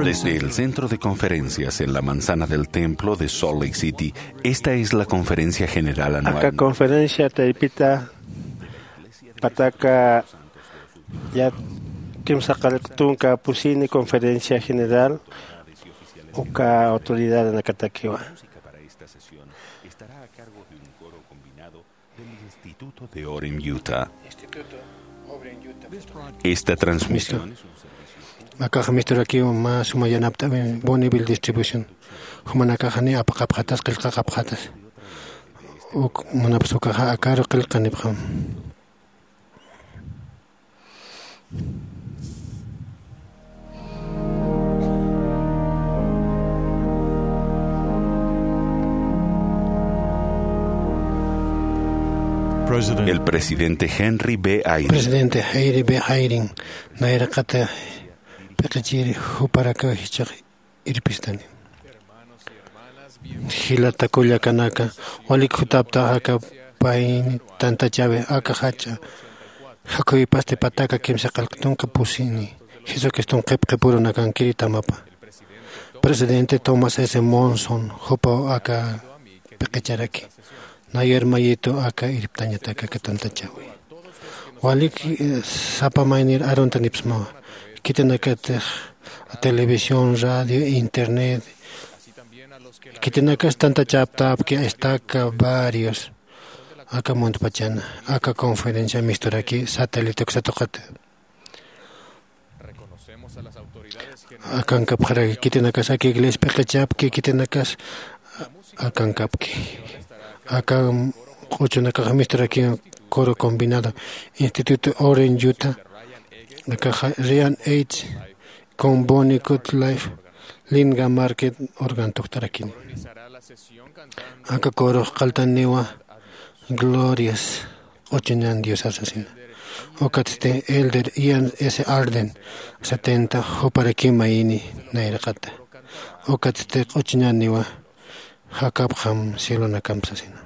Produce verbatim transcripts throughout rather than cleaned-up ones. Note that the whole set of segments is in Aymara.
Desde el centro de conferencias en la manzana del templo de Salt Lake City, esta es la conferencia general anual. Aka conferencia taypita pataka ya kimsa qallq tunka pusini conferencia general uka autoridad anakatakiwa. Del Instituto de Orem Utah. Esta transmisión es un servicio. Akax misturakiw mä suma yanapt'awin Bonneville Distribution. Jumanakaxani apaqapxatas, qillqaqapxatas. Uk munapsukaxa akaru qillqanipxam. El presidente Henry B. Eyring. Presidente Henry B. Eyring, nayraqata p'iqichiri juparakaw jichhax irpistani. Jilata kullakanaka, walik jutaptaxa aka payni tantachäwi aka jach'a jakhuypasti pataka kimsa qallq tunka pusini, Jesucriston qhipqipurunakankiri tamapa. Presidente Thomas S. Monson, jupaw aka p'iqicharaki. Nayraqata aka irptañataki aka tantachäwi. Walik, eh, sapa maynir aruntanipsmawa. Khitinakatix televisión, radio, internet. Khitinakas tantachaptapki, estaka varios. Aka muntpachana, aka conferencia misturaki, satélite uksa tuqit. Akankapxaraki, khitinakas aka iglesia p'iqichapki, khitinakas akankapki. Aka q'uchunakax misturaki coro combinado, Instituto Orem Utah, akaxa Ryan H. con Bonnie Goodlife, Linga Market organ tuktarakin. Aka corox qalltaniwa Glorias, q'uchuñan Diosar sasina. Ukatsti Elder Ian S. Arden, setenta, juparakima ini nayraqata. Ukatsti q'uchuñaniwa jakapxam cielonakam sasina.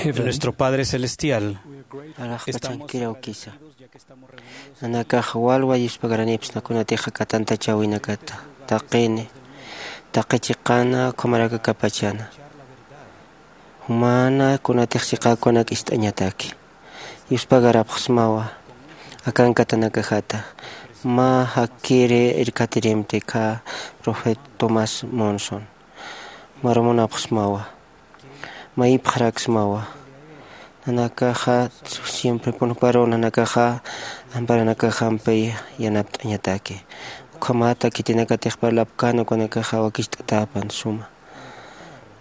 Nuestro Padre Celestial, arxpachankir awkisa. Nanakax walwa yuspagaranips, kunatix aka tantachäwinakata, taqini, taqi chiqana, ukhamaraki aka pachana. Jumana kunatix chiqakunak ist'añataki. Yuspagarapxsmawa. akankatanakajata. Mä jakiri irkatirimti kha profeta Thomas Monson. Marumunapxsmawa. Mayipxaraksmawa. Nanakaxa siemprepun juparu nanakaxa amparanakaxampi yanapt'añataki. Ukhamata khitinakatix parlapkän ukanakaxa wakicht'atäpan suma.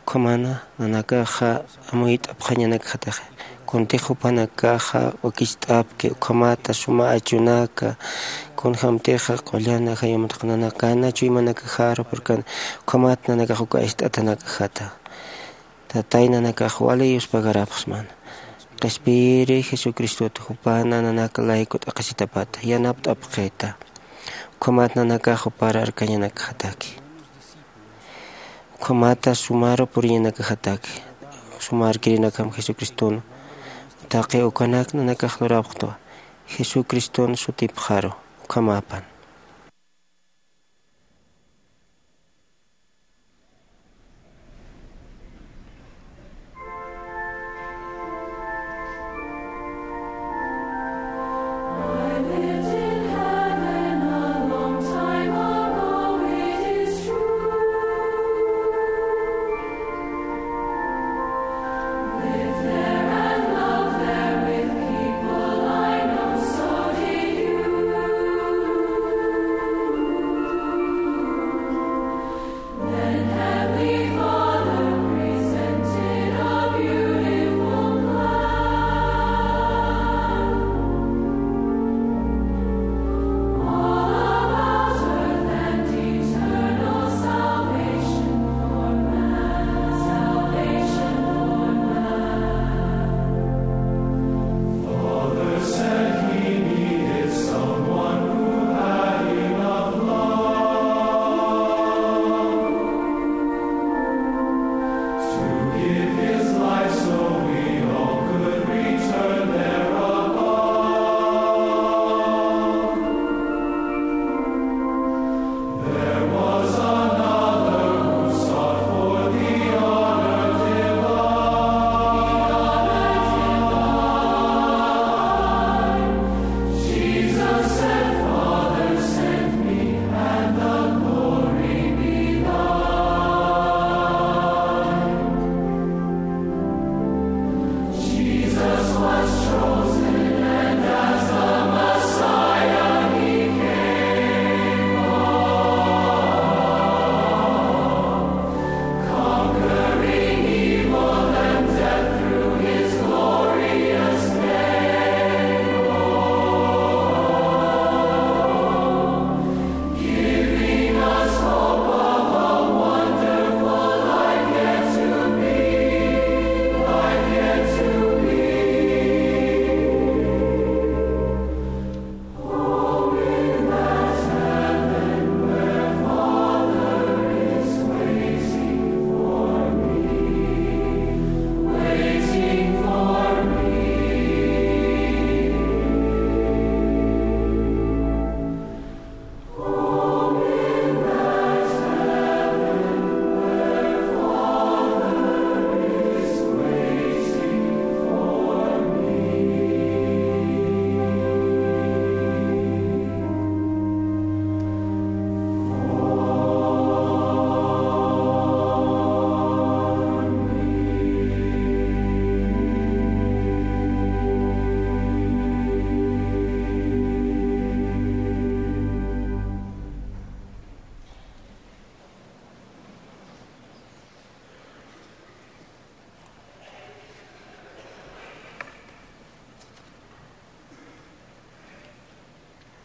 Ukhamana nanakaxa amuyt'apxañanakxatix. Kuntix jupanakaxa wakicht'apki ukhamata suma achunaka. Kunjämtixa qullan ajayumtaq nanakana chuymanakaxaru purkan. Ukhamat nanakax uka ist'atanakajata. Tatay nanakax wali yuspagarapxsmana. Qhispiyiri Jesucristot jupana nanak layku t'aqhisitapata yanapt'apxita. Ukhamat nanakax jupar arkañanakjataki. Ukhamata sumaru puriñanakjataki. Suma arkirinakjam Jesucristun. Taqi ukanak nanakax lurapxtwa Jesucristun sutipxaru. Ukhamapan.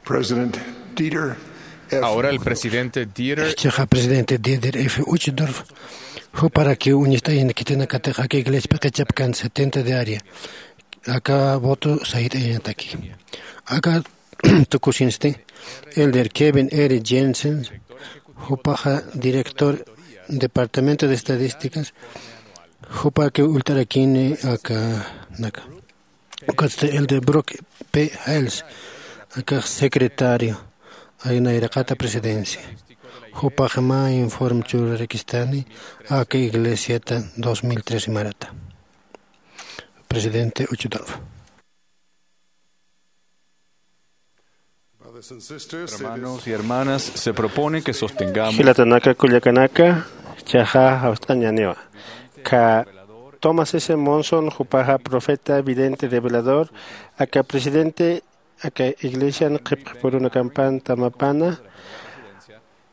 President Dieter F. Ahora el presidente Dieter. Chiqa presidente Dieter F. Uchtdorf, juparakiw uñist'ayan khitinakatix aka iglesia p'iqichapkan setenta de área. Aka voto sayt'ayanataki. Aka tukusinsti, Elder Kevin R. Jensen, jupaxa director Departamento de Estadísticas, jupakiw ullt'arakini aka naka. Ukatsti Elder Brock P. Hales, akax secretario, ay nayraqata presidencia. Jupax mä informe churarakistani aka iglesiata dos mil trece marata. Presidente Uchtdorf. Hermanos y hermanas, se propone que sostengamos. Jilatanaka kullakanaka, chaxa jawst'añaniwa. Ka Thomas S. Monson jupaxa profeta, vidente, revelador, aka presidente aka iglesian qhipqipurunakampanta mapana,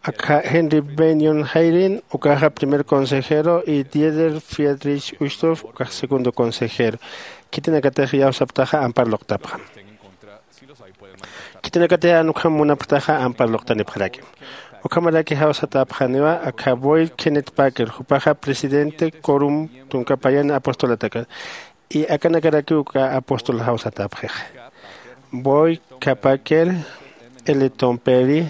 aka Henry Bennion Hayden ukaxa primer consejero y Dieter Friedrich Uchtdorf ukaxa segundo consejero. Khitinakatix iyawsaptaxa ampar luqtapxam. Khitinakatix jan ukham munapxtaxa ampar luqtanipxarakim. Ukhamaraki jawsatäpxaniwa aka Boyd Kenneth Packer jupaxa presidente quorum tunka payani apostolataka. Y akanakarakiw uka apóstol jawsatäpxixa. Boyd K. Packer, L. Tom Perry,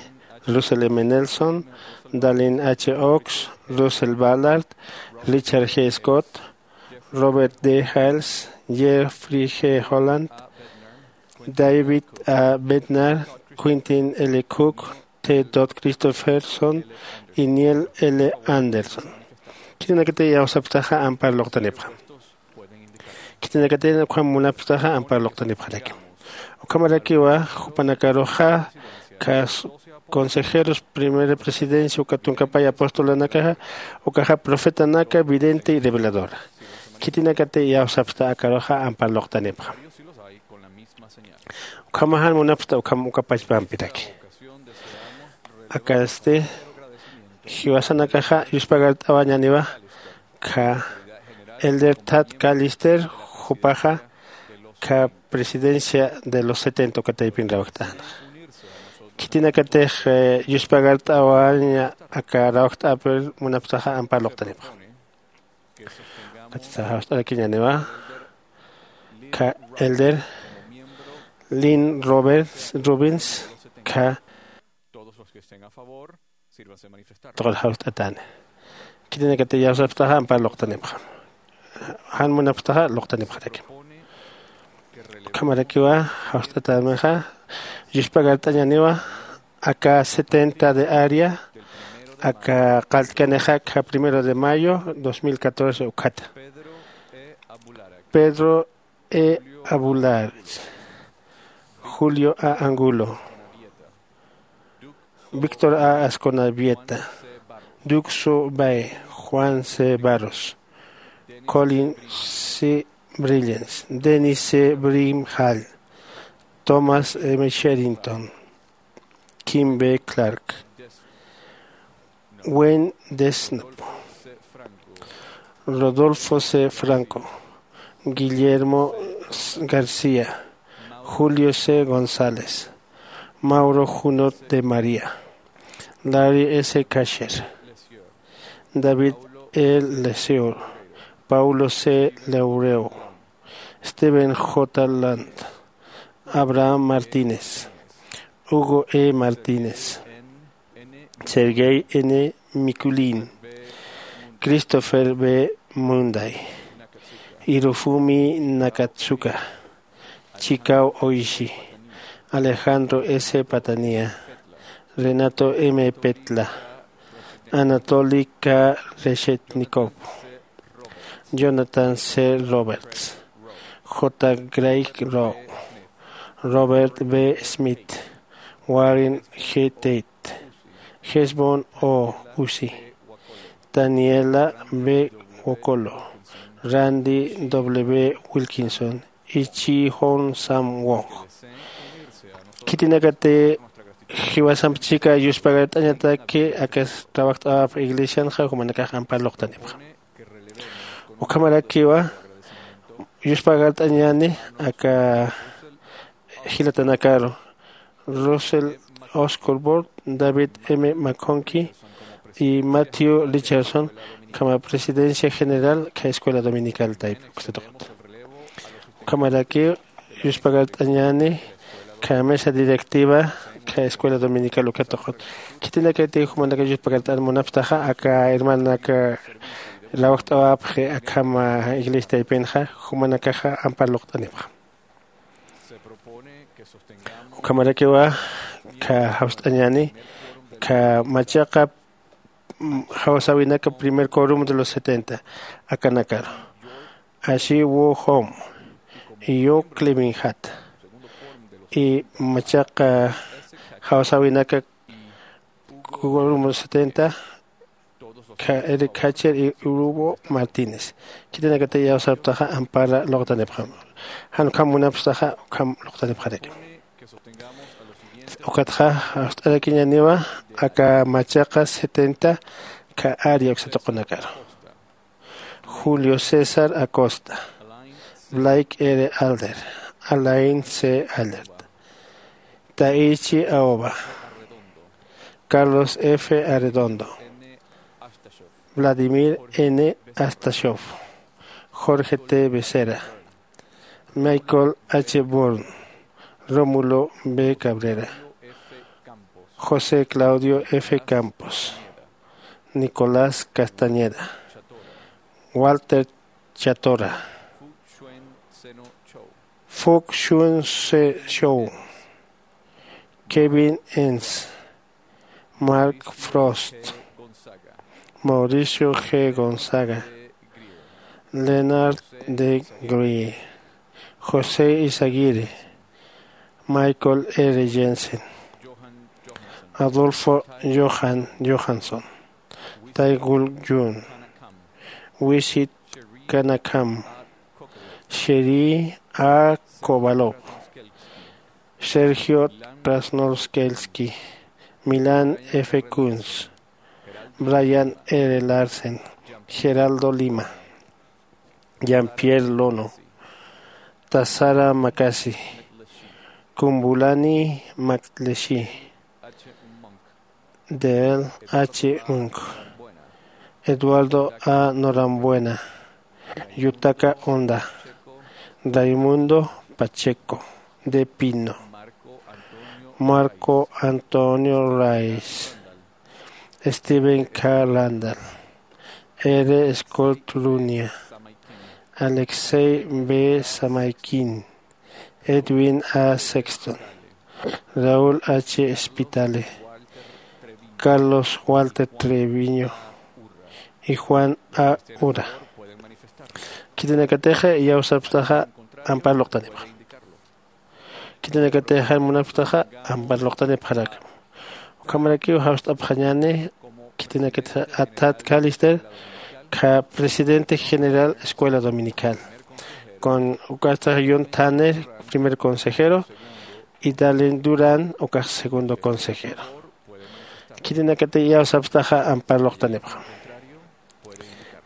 Russell M. Nelson, Dallin H. Oaks, Russell Ballard, Richard G. Scott, Robert D. Hales, Jeffrey G. Holland, David A. Bednar, Quentin L. Cook, T. Todd Christofferson y Neil L. Andersen. Khitinakatix iyawsapxtaxa ampar luqtanipxam. Khitinakatix ukham munapxtaxa ampar luqtanipxarakim. Ukhamarakiwa jupanakaruxa, cas-, consejeros, primera presidencia uka tunkapay apostolanakaxa, ukaxa profetanaka, vidente y reveladora. Khitinakatix iyawsapxta akaruxa ampar luqtanipxam. Ukhama jan munapxta ukham uka pachpampiraki. Akasti jiwasanakaxa yuspagart'awañaniwa, ka Elder Tad Callister jupaxa ka presidencia de los setenta uka taypin rawjt'anxa. Khitinakatix, eh, yuspagart'awaña aka rawjt'apir munapxtaxa ampar luqtanipxam. Ukatsa jawst'arakiñaniwa, ka Elder Lynn Roberts, Robbins, ka todos los que estén a favor, sírvanse manifestar. Tuqur jawst'atani. Khitinakatix iyawsapxtaxa ampar luqtanipxam. Jan munapxtaxa luqtanipxarakim. Ukhamarakiwa jawst'atamixa, yuspagart'añaniwa, aka setenta de área, aka qalltkanixa ka primero de mayo dos mil catorce ukhata. Pedro E. Abulard, Julio A. Angulo, Víctor A. Asconavieta, Duxo Bae, Juan C. Barros, Colin C. Brillens, Dennis C. Brimhall, Thomas M. Sherrington, Kim B. Clark, Wayne Desnop, Rodolfo C. Franco, Guillermo García, Julio C. González, Mauro Junot de María, Larry S. Kasher, David E. Lesieur, Paulo C. Leureu, Steven J. Land, Abraham Martínez, Hugo E. Martínez, Sergei N. Mikulin, Christopher B. Munday, Hirofumi Nakatsuka, Chikao Oishi, Alejandro S. Patania, Renato M. Petla, Anatoly K. Reshetnikov, Jonathan C. Roberts, J. Craig Rowe, Robert B. Smith, Warren G. Tate, Hesbon O. Uzi, Daniela B. Wokolo, Randy W. Wilkinson, Ichi Hon Sam Wong. Khitinakatix jiwasamp chika yuspagart'añataki aka trabajt'awap iglesianxa, jumanakax ampar luqtanipxam. Ukhamarakiwa yuspagart'añani aka jilatanakaru, Russell Oscorborn, David M. McConkie y Matthew Richardson, kama presidencia general ka escuela dominical taypi uksa tuqut. Ukhamaraki yuspagart'añani ka mesa directiva ka escuela dominical uka tuqut. Khitinakatix jumanaka yuspagart'an munapxtaxa, aka hermanaka rawjt'awapxi akhama iglesia taypinxa, jumanakaxa ampar luqtanipxam. Ukhamarakiwa ka jawst'añani ka machaqa, mm, jawsäwinaka primer quorum de los setenta akanakaru. Así Wu Hom, Yo Clevinhat, y machaqa jawsäwinaka, Kugurumu setenta, Eric Hatcher y Hugo Martínez. Khitinakatix iyawsapxtaxa ampara luqtanipxam. Jan ukham munapxtaxa ukham luqtanipxaraki. Ukatxa jawst'arakiñaniwa aka machaqa setenta, ka área uksa tuqunakaru. Julio César Acosta, Blake R. Alder, Alain C. Allard, Taichi Aoba, Carlos F. Arredondo, Vladimir N. Astashov, Jorge T. Becerra, Michael H. Bourne, Rómulo B. Cabrera, José Claudio F. Campos, Nicolás Castañeda, Walter Chatora, Fuchun Se Show, Kevin Enns, Mark Frost, Mauricio G. Gonzaga, Leonard D. Greer, José Izaguirre, Michael R. Jensen, Adolfo Johan Johansson, Taegul Yun, Wisit Kanakam, Sheri A. Kovalov, Sergio Krasnorskelski, Milan F. Kunz, Brian R. Larsen, Geraldo Lima, Jean-Pierre Lono, Tasara Makasi, Kumbulani Makleshi, Dale H. Munk, Eduardo A. Norambuena, Yutaka Honda, Raimundo Pacheco de Pino, Marco Antonio Rice, Steven K. Randall, R. Scott Lunia, Alexei B. Samaikin, Edwin A. Sexton, Raúl H. Spitale, Carlos Walter Treviño y Juan A. Ura. Khitinakatixa iyawsapxtaxa ampar luqtanipxam. Khitinakatixa munapxtaxa ampar luqtanipxarakam. Ukhamarakiw jawst'apxañäni khitinakatixa a Tad Callister, ka presidente general Escuela Dominical. Con ukatxa John Tanner, primer consejero, y Dalen Duran, ukax segundo consejero. Khitinakatixa iyawsapxtaxa ampar luqtanipxam.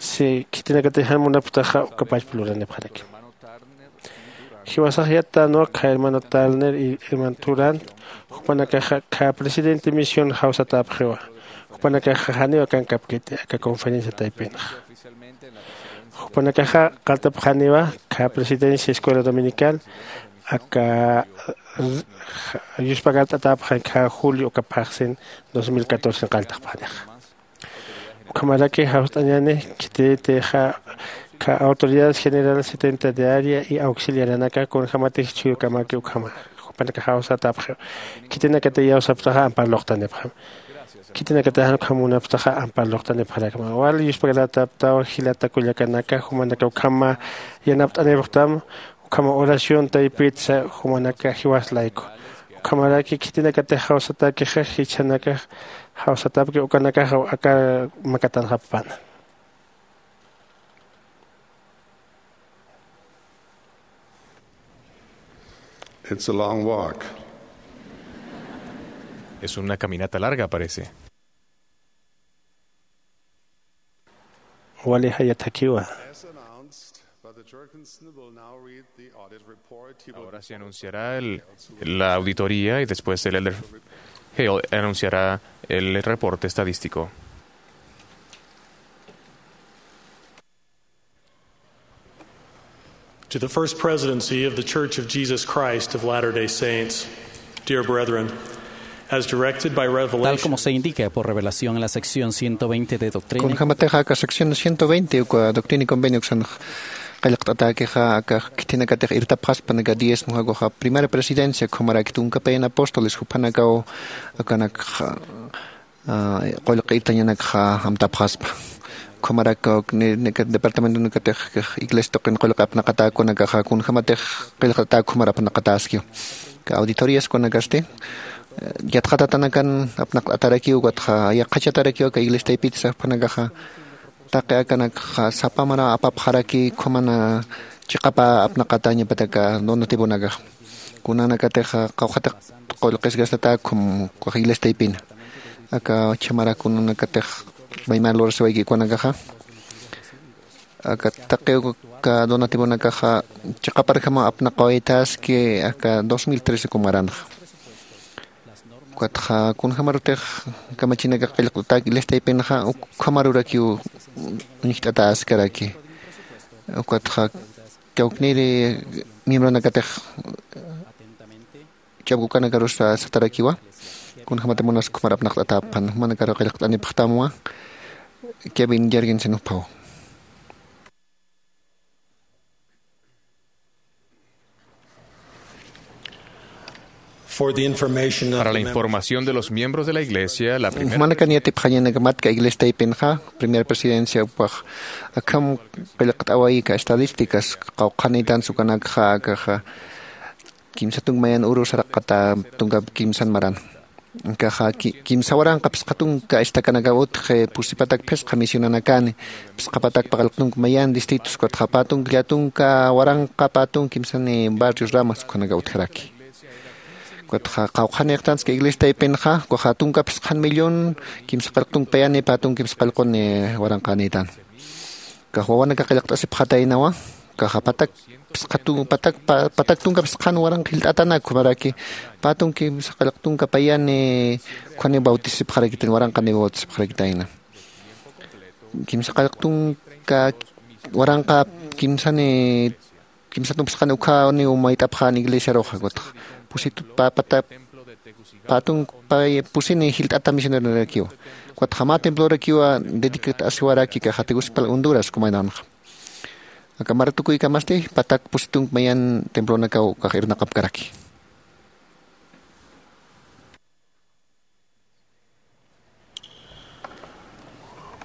Si khitinakatix jan munapxtaxa uka pachpa luranipxaraki. Jiwasax yattanwa, ka hermano Turner y hermano Durand, jupanakaxa ka presidente misión jawsatäpxiwa. Jupanakaxa janiw akankapkiti aka conferencia taypinxa. Jupanakaxa qartapxaniwa ka presidencia Escuela Dominical, aka yuspagart'atäpxan ka julio uka phaxsin dos mil catorce qalltapxanixa. Ukhamaraki jawst'añäni khititixa ka autoridades generales setenta de área y auxiliaranaka kunjämatix chuyu kamaki ukhama jupanakax jawsatäpxiwa. Khitinakatix iyawsapxtaxa ampar luqtanipxam. Khitinakatix jan ukham munapxtaxa ampar luqtanipxarakma. Wal yuspagart'atäpxtaw jilata kullakanaka, jumanakax ukhama yanapt'anipxtam, ukhama oración taypitsa jumanakax jiwas layku. Ukhamaraki khitinakatix jawsatäkixa jichhanakax jawsatäpki ukanakax aka makatanxapxpan. It's a long walk. Es una caminata larga, parece. Wali jaya thakiwa. As announced, Brother Jorgensen will now read the audit report. He will Ahora se anunciará el, la auditoría y después el elder Hale anunciará el reporte estadístico. To the First Presidency of the Church of Jesus Christ of Latter-day Saints, dear brethren, as directed by Tal revelation, como se indica por revelación en la sección ciento veinte de Doctrina y Kunjamatixa aka sección ciento veinte uka Doctrina y Convenio uksan qillqt'atäkixa, aka khitinakatix irtapxaspa naka diezmo jakuxa Primera Presidencia, ukhamaraki tunka payan apóstoles, jupanakaw akanakxa, ah, qullqi irtañanakxa amtapxaspa. Ukhamaraki ni, ni departamentonakatix iglesia tuqin qullqi apnaqatäkunakaxa kunjämatix qillqt'atäki ukhamarak apnaqatäskiw. Ka auditorias kunakasti, Yatxatatanakan apnaqt'atarakiw, ukatxa yaqhachatarakiw aka iglesia taypit sarpanakaxa. Taqi akanakxa sapa mara apapxaraki, ukhamana chiqapa apnaqatañapataka donativonakaxa. Kunanakatixa qawqhatix qullqisgastata ukham ukax iglesia taypina. Aka chhamara kunanakatix maymar lurasiwayki ukanakaxa. Aka taqi uka donativonakaxa chiqaparjama apnaqawaytaski aka dos mil trece kumaranxa. Ukatxa kunjamarutix kamachinakax qillqt'atak iglesia taypinxa, ukhamarurakiw uñjt'atäskaraki. Ukatxa kawkniri miembronakatix ch'apkukanakarus satarakiwa. Kunjamati munas ukhamar apnaqt'atäpxpan, jumanakaru qillqt'anipxtamwa. Kevin Jergensen juphaw. For the information of Para the la members información de los miembros de la iglesia, la primera Jumanakan yatipxañanakamat aka iglesia taypinxa, primera presidencia jupax akham qillqt'awayka estadísticas, qawqhanïtan sukanakxa, akaxa kimsa tunka mayan uru saraqata tunka kimsan maran. Akaxa ki-, kimsa waranqa phisqa tunka estacanakaw utji, pusi patak phisqa misionanakani, phisqa patak paqallq tunka mayan distritos, ukatxa pä tunka, lla tunka waranqa, pä tunka kimsani barrios, ramas, ukhanakaw utjaraki. Ukatxa qawqhanïxtanski iglesia taypinxa, ukaxa tunka phisqan millón, kimsa qallq tunka payani, pä tunka kimsa qallquni waranqänïtan. Ukax wawanaka qillqt'asipxataynawa, ukaxa patak phisqa tun-, patak, pa-, patak tunka phisqan waranqa jilt'atanak ukhamaraki, pä tunka kimsa qallq tunka payani ukhaniw bautisipxarakitan, waranqaniw bautisipxarakitayna. Kimsa qallq tunka waranqa kimsani, kimsa tunka phisqani ukhaniw mayt'apxän iglesiaruxa, ukatxa pusi tu-, pa-, pata-, pä tunka pay pusini jilt'ata misioneronirakiwa. Ukatxa mä templorakiwa dedicat'asiwaraki, akaxa Tegucigalpa Honduras kumaynanxa. Aka mara tukuykamasti patak pusi tunka mayan templonakaw ukax irnaqapkaraki.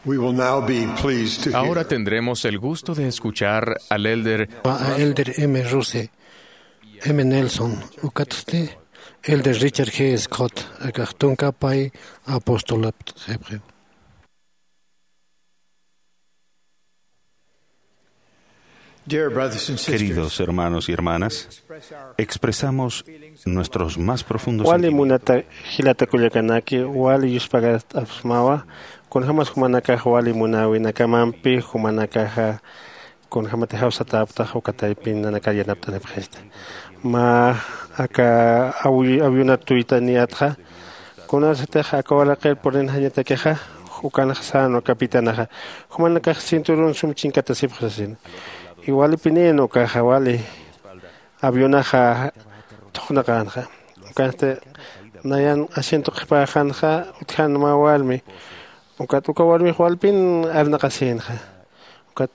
We will now be pleased to hear Ahora tendremos el gusto de escuchar al elder a Elder M. Russell, M. Nelson, ukatsti Elder Richard G. Scott, akax tunka pay apostolap sipxiw. Dear brothers and sisters, Queridos hermanos y hermanas, expresamos nuestros más profundos wali sentimientos. Munata jilata kullakanaki, wali yuspagast'apxsmawa, kunjamas jumanakax wali munäwinakamampi, jumanakaxa kunjamati jawsatäpxtax uka taypin nanakar yanapt'anipxista. Mä aka awi-, awionat tuytaniyätxa, kunasatix aka waraqir purinxañatakixa, ukanxa sänwa capitanaxa, jumanakax cinturón sum chinkatasipxi sasin. Iwalipinïn ukaxa wali avionaxa thuqnaqänxa. Ukansti nayan asiento qhipäxanxa, utjan mä warmi. Ukat uka warmix walpin arnaqasïnxa. Ukat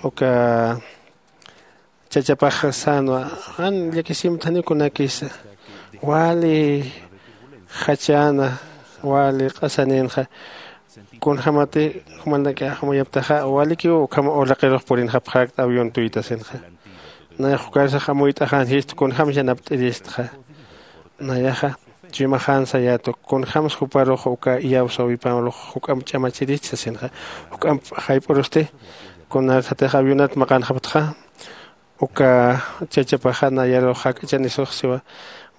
uka chachapax sänwa, jan llakisimtaniw kunakisa. Wali jachäna, wali q'asanïnxa. Kunjamati jumanakax amuyaptaxa, walikiw ukham uraqirux purinxapxäkta avión tuytasinxa. Nayax ukarsax amuyt'axänxistu, kunjam yanapt'iristxa. Nayaxa chuymaxän sayätu, kunjams juparux uka iyawsäwiparux juk'amp ch'amachirist sasinxa. Juk'amp jayp'urusti, kunasatix avionat maqanxapxtxa, uka chachapaxa nayarux jak'achanisux siwa,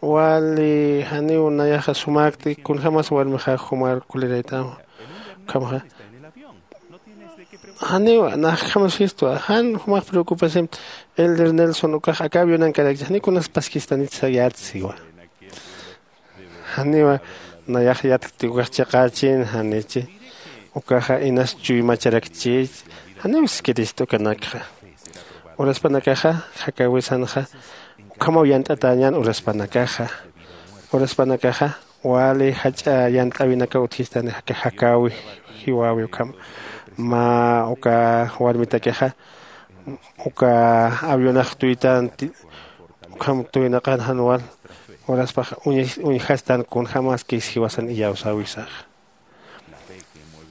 wali janiw nayaxa sumäkti, kunjamas warmixa jumar kuliraytäma. Ukhamaxa, janiwa, naxkhamas sistwa, jan jumax preocupasimta, Elder Nelson ukax aka avionankarakchi, janiw kunas paskistanit sayät siwa. Janiwa, nayax yatkti ukax chiqächin, janichi. Ukaxa inas chuymacharakchich, janiw siskirist ukanakxa. Uraspanakaxa, jakäwisanxa, ukhamaw yant'atäñän uraspanakaxa. Uraspanakaxa, wali jach'a yant'äwinakaw utjistani, jaka jakäwi, jiwäwi ukham. Mä uka warmitakixa, uka avionax tuytänti, ukham tuynaqan jan wal, uraspax uñi-, uñjastan kunjamaskis jiwasan iyawsäwisax.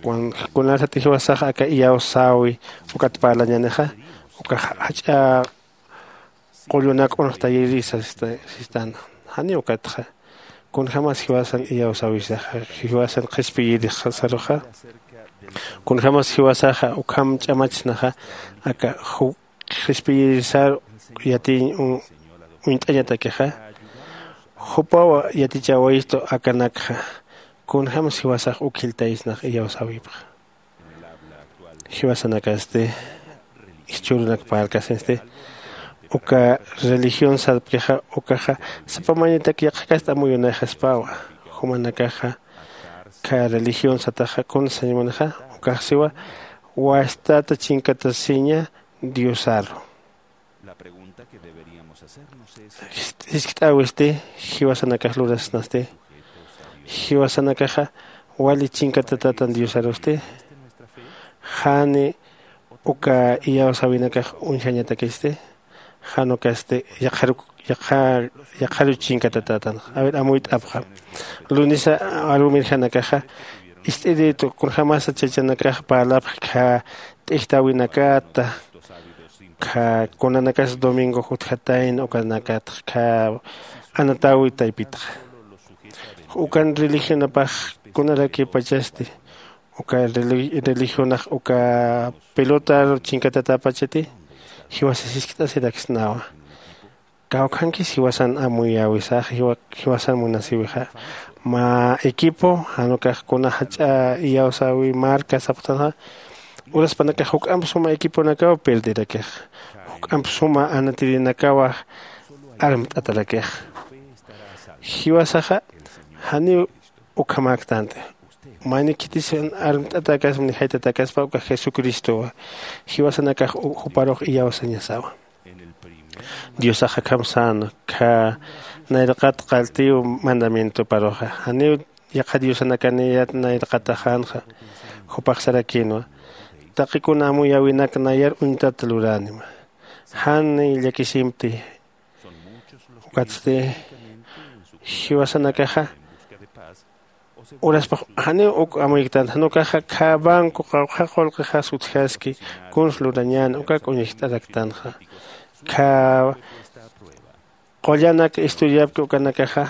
Kun-, kunasati jiwasax aka iyawsäwi ukat parlañänixa, uka ja-, jach'a qullunak uñxtayiri sasista-, sistan. Janiw ukatxa. Kunjämas jiwasan iyawsäwisaxa, jiwasan qhispiyirixsaruxa, kunjämas jiwasaxa ukham ch'amatsnaxa aka qhispiyirisar yatiñ uñt'añatakixa, jupaw yatichäwayistu akanakxa. Kunjämas jiwasax uk jiltaysnax iyawsäwipxa. Jiwasanakasti jichhürunak parlkasinsti uka religión sarpkixa ukaxa sapa maynitak yaqhakast amuyunayxaspawa. Jumanakaxa kha religión sataxa kuna sañmunixa ukax siwa wastata chinkatasiña diosaru. Jiskt'äwisti jiwasanakax lurasnasti jiwasanakaxa wali chinkatatatan diosarusti? Jani uka iyawsäwinakax uñjañatakisti? Jan ukasti yaqharuch chinkatatatan. A ver amuyt'apxam. Lunisa arumirjanakaxa ist'iritu kunjämasa chachanakax parlapx kha t'ijtäwinakata kha kunanakas domingo jutjatayna ukanakatx kha anatäwi taypitxa. Ukan religionapax kunarakipachasti uka religionax uka pelotaru chinkatatapachati? Jiwasa jiskt'asiraksnawa. Kawkhankis jiwasan amuyäwisaxa jiwasan munasiwixa mä equipo jan ukax kuna jach'a iyawsäwi marca sapxtanxa uraspanakax juk'amp suma equiponakaw perderakixa. Juk'amp suma anatirinakawa armt'atarakixa. Jiwasaxa janiw ukhamäktanti. Mayni khitisan armt'atakas ni jaytatakaspa uka jesucristowa. Jiwasanakax juparux iyawsañasawa. Diosax akham säna kha nayraqat qalltiw mandamientoparuxa janiw yaqha diosanakaniyat nayraqataxänxa. Jupax sarakïnwa taqi kuna amuyäwinak nayar uñtat luränima. Jan llakisimpti. Ukatsti jiwasanakaxa uraspax janiw uk amuyktan jan ukaxa kha banco qawqha qullqixas utjaski kuns lurañän ukak uñacht'araktanxa. Kha qullanak estudiapki ukanakaxa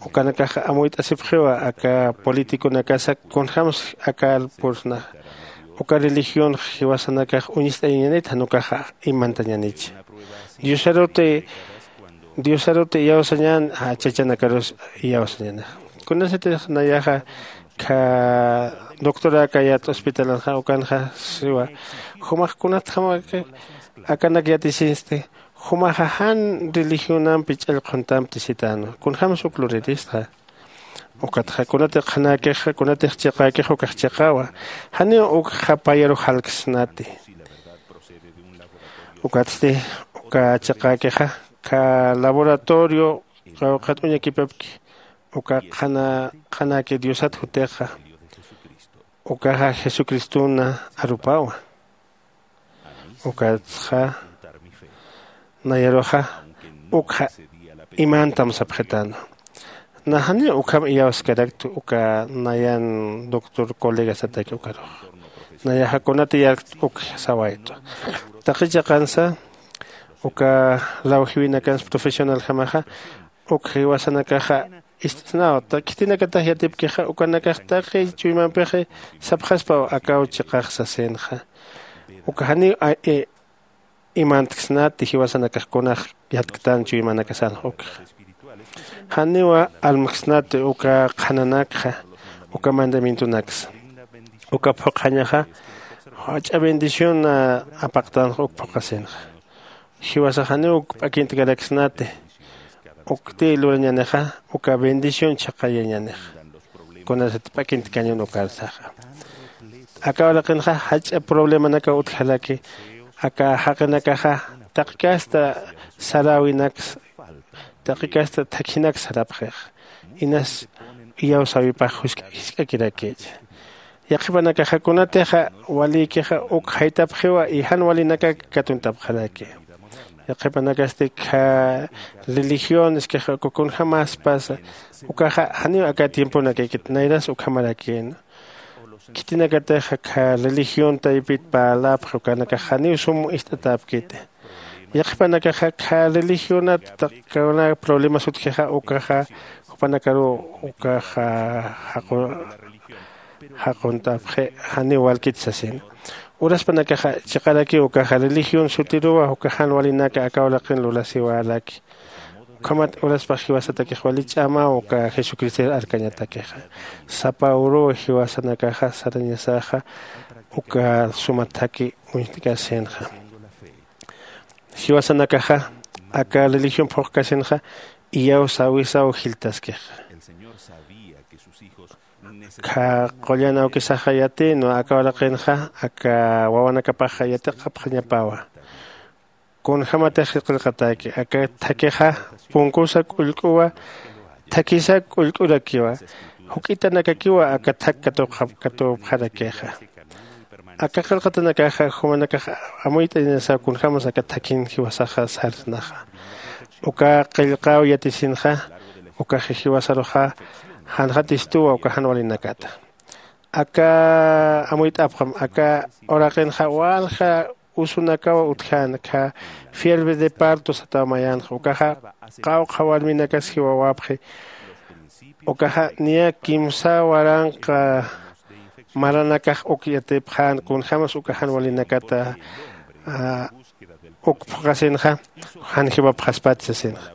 ukanakaxa amuyt'asipxiwa aka politiconakasa kunjämsa akar pursnaxa. Uka religionx jiwasanakax uñist'ayañanit jan ukaxa imantañanich. Diosaruti diosaruti iyawsañän chachanakarus iyawsañänixa. Kunasatix nayaxa kha doctoräkayät hospitalanxa ukanxa siwa jumax kunatjam akanak yatisinsti? Jumaxa jan religionampi ch'allqhuntampi sitäna kunjämsa uk luriristxa. Ukatxa kunatix qhanäkixa kunatix chiqäkixa ukax chiqäwa. Janiw ukxa payaru jalksnati. Ukatsti uka chiqäkixa kha laboratorio qawqhat uñakipapki uka qhanäki diosat jutixa ukaxa jesucristona arupawa. Ukatxa nayaruxa ukxa imantam sapxitäna. Nä janiw ukham iyawskaraktu uka nayan doctor colegasataki ukarux. Nayaxa kunati yarkt uk sawaytu taqi chiqansa uka lawjiwinakansa profesionaljamaxa uk jiwasanakaxa ist'snaw khitinakatax yatipkixa ukanakax taqi chuymampixi sapxaspaw akaw chiqax sasinxa. Uka janiw imantksnati jiwasanakax kunax yatktan chuymanakasanx ukxa. Janiwa almksnati uka qhananakxa uka mandamientonaksa. Uka phuqhañaxa jach'a bendición apaqtanx uk phuqhasinxa. Jiwasax janiw uk p'akintkaraksnati. Ukti lurañänixa uka bendición chhaqayañänixa. Kunasat p'akintkañun ukarsaxa aka uraqinxa jach'a problemanakaw utjaraki. Aka jaqinakaxa taqi kasta saräwinaksa taqi kasta thakhinaksa sarapxixa. Inas iyawsäwipax jisk'akirakïcha. Yaqhipanakaxa kunatixa walïkixa uk jaytapxiwa y jan walinakak katuntapxaraki. Yaqhipanakasti kha religión iskixa uka kunjämäspasa ukaxa janiw aka tiemponakïkit nayras ukhamarakïna. Khitinakatixa kha religión taypit parläpxi ukanakax janiw sum ist'atäpkiti. Yaqhipanakaxa kha religionat taqi kuna problemas utjixa ukaxa jupanakaruw ukaxa jaqunt'apxi, janiw walkit sasina. Uraspanakaxa chiqarakiw ukaxa religión sutiruwa uka jan walinaka aka uraqin lurasiwäraki. Ukhamat uraspax jiwasatakix wali ch'amaw uka jesucristor arkañatakixa. Sapa uruw jiwasanakaxa sarañasaxa uka suma thakhi uñt'kasinxa. Jiwasanakaxa aka religión phuqkasinxa iyawsäwisaw jilltaskixa. Kha qullan awkisaxa yatïnwa aka uraqinxa aka wawanakapaxa yatiqapxañapawa. Kunjämatix qillqatäki aka thakhixa punkusa k'ullk'uwa, thakhisak k'ullk'urakiwa, juk'itanakakiwa aka thak katuqapxarakixa. Aka qillqatanakaxa jumanakax amuyt'añasaw kunjämas aka thakhin jiwasaxa sarsnaxa. Uka qillqäw yatisinxa ukax jiwasaruxa janxatistuwa uka jan walinakata. Aka amuyt'apxam aka uraqinxa walja usunakaw utjän kha fiebre de parto sataw mayänxa ukaxa qawqha warminakas jiwawapxi. Ukaxa niya kimsa waranqa maranakax uk yatipxän kunjämas uka jan walinakata uk phuqasinxa jan jiwapxaspati sasinxa.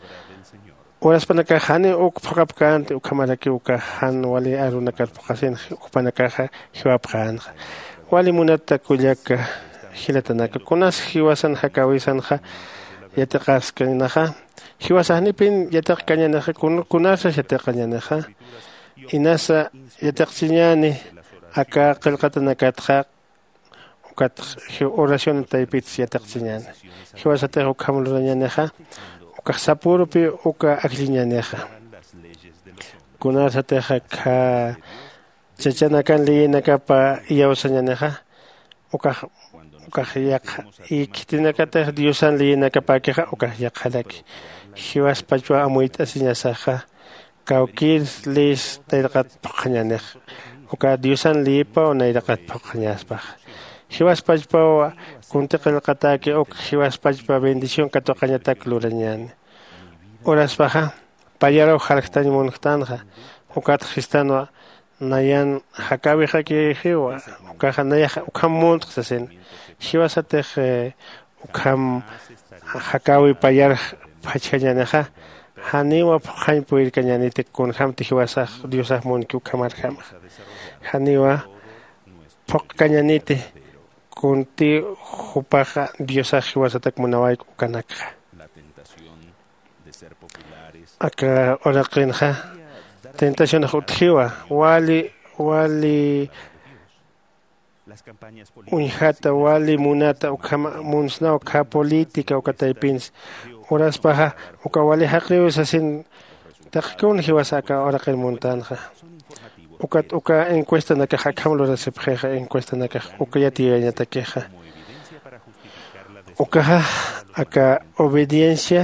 Uraspanakax janiw uk phuqapkänti ukhamarakiw uka jan wali arunakar phuqasinxa jupanakaxa jiwapxänxa. Wali munata kullaka jilatanaka kunas jiwasan jakäwisanxa yatiqaskanixa. Jiwasax janipin yatiqkañänixa kunasas yatiqañänixa. Inasa yatiqchiñäni aka qillqatanakatxa. Ukat oración taypitsa yatiqchiñäni. Jiwasatix ukham lurañänixa ukax sapürupi uka ajlliñänixa. Kunasatix kha chachanakan leyinakapa iyawsañänixa ukax ukax yaqha. Y khitinakatix diosan leyinakapäkixa ukax yaqharaki. Jiwaspachwa amuyt'asiñasaxa kawkïr leys nayraqat phuqhañänix. Uka diosan leyipaw nayraqat phuqhañäspaxa. Jiwaspachpaw kunti qillqatäki uk jiwaspachpa bendición katuqañatak lurañäni. Uraspaxa payaruw jarktañ munktänxa. Ukat jistanwa nayan jakäwixakixiwa. Ukaxa nayaxa ukham muntx sasin. Jiwasatix ukham jakäwi payar phachjañänixa. Janiwa phuqhañ puyirkañäniti kunjämti jiwasax diosax munki ukhamarjamaxa. Janiwa phuqkañäniti kunti jupaxa diosax jiwasatak munawayku ukanakxa. Aka uraqinxa tentacionax utjiwa wali wali uñjata wali munata ukhama munsnaw kha política uka taypinsa. Uraspaxa uka wali jaqiw sasin taqi kun jiwasa aka uraqin muntänxa. Ukat uka encuestanakax akham lurasipxixa encuestanakax uka yatiyañatakixa. Ukaxa aka obediencia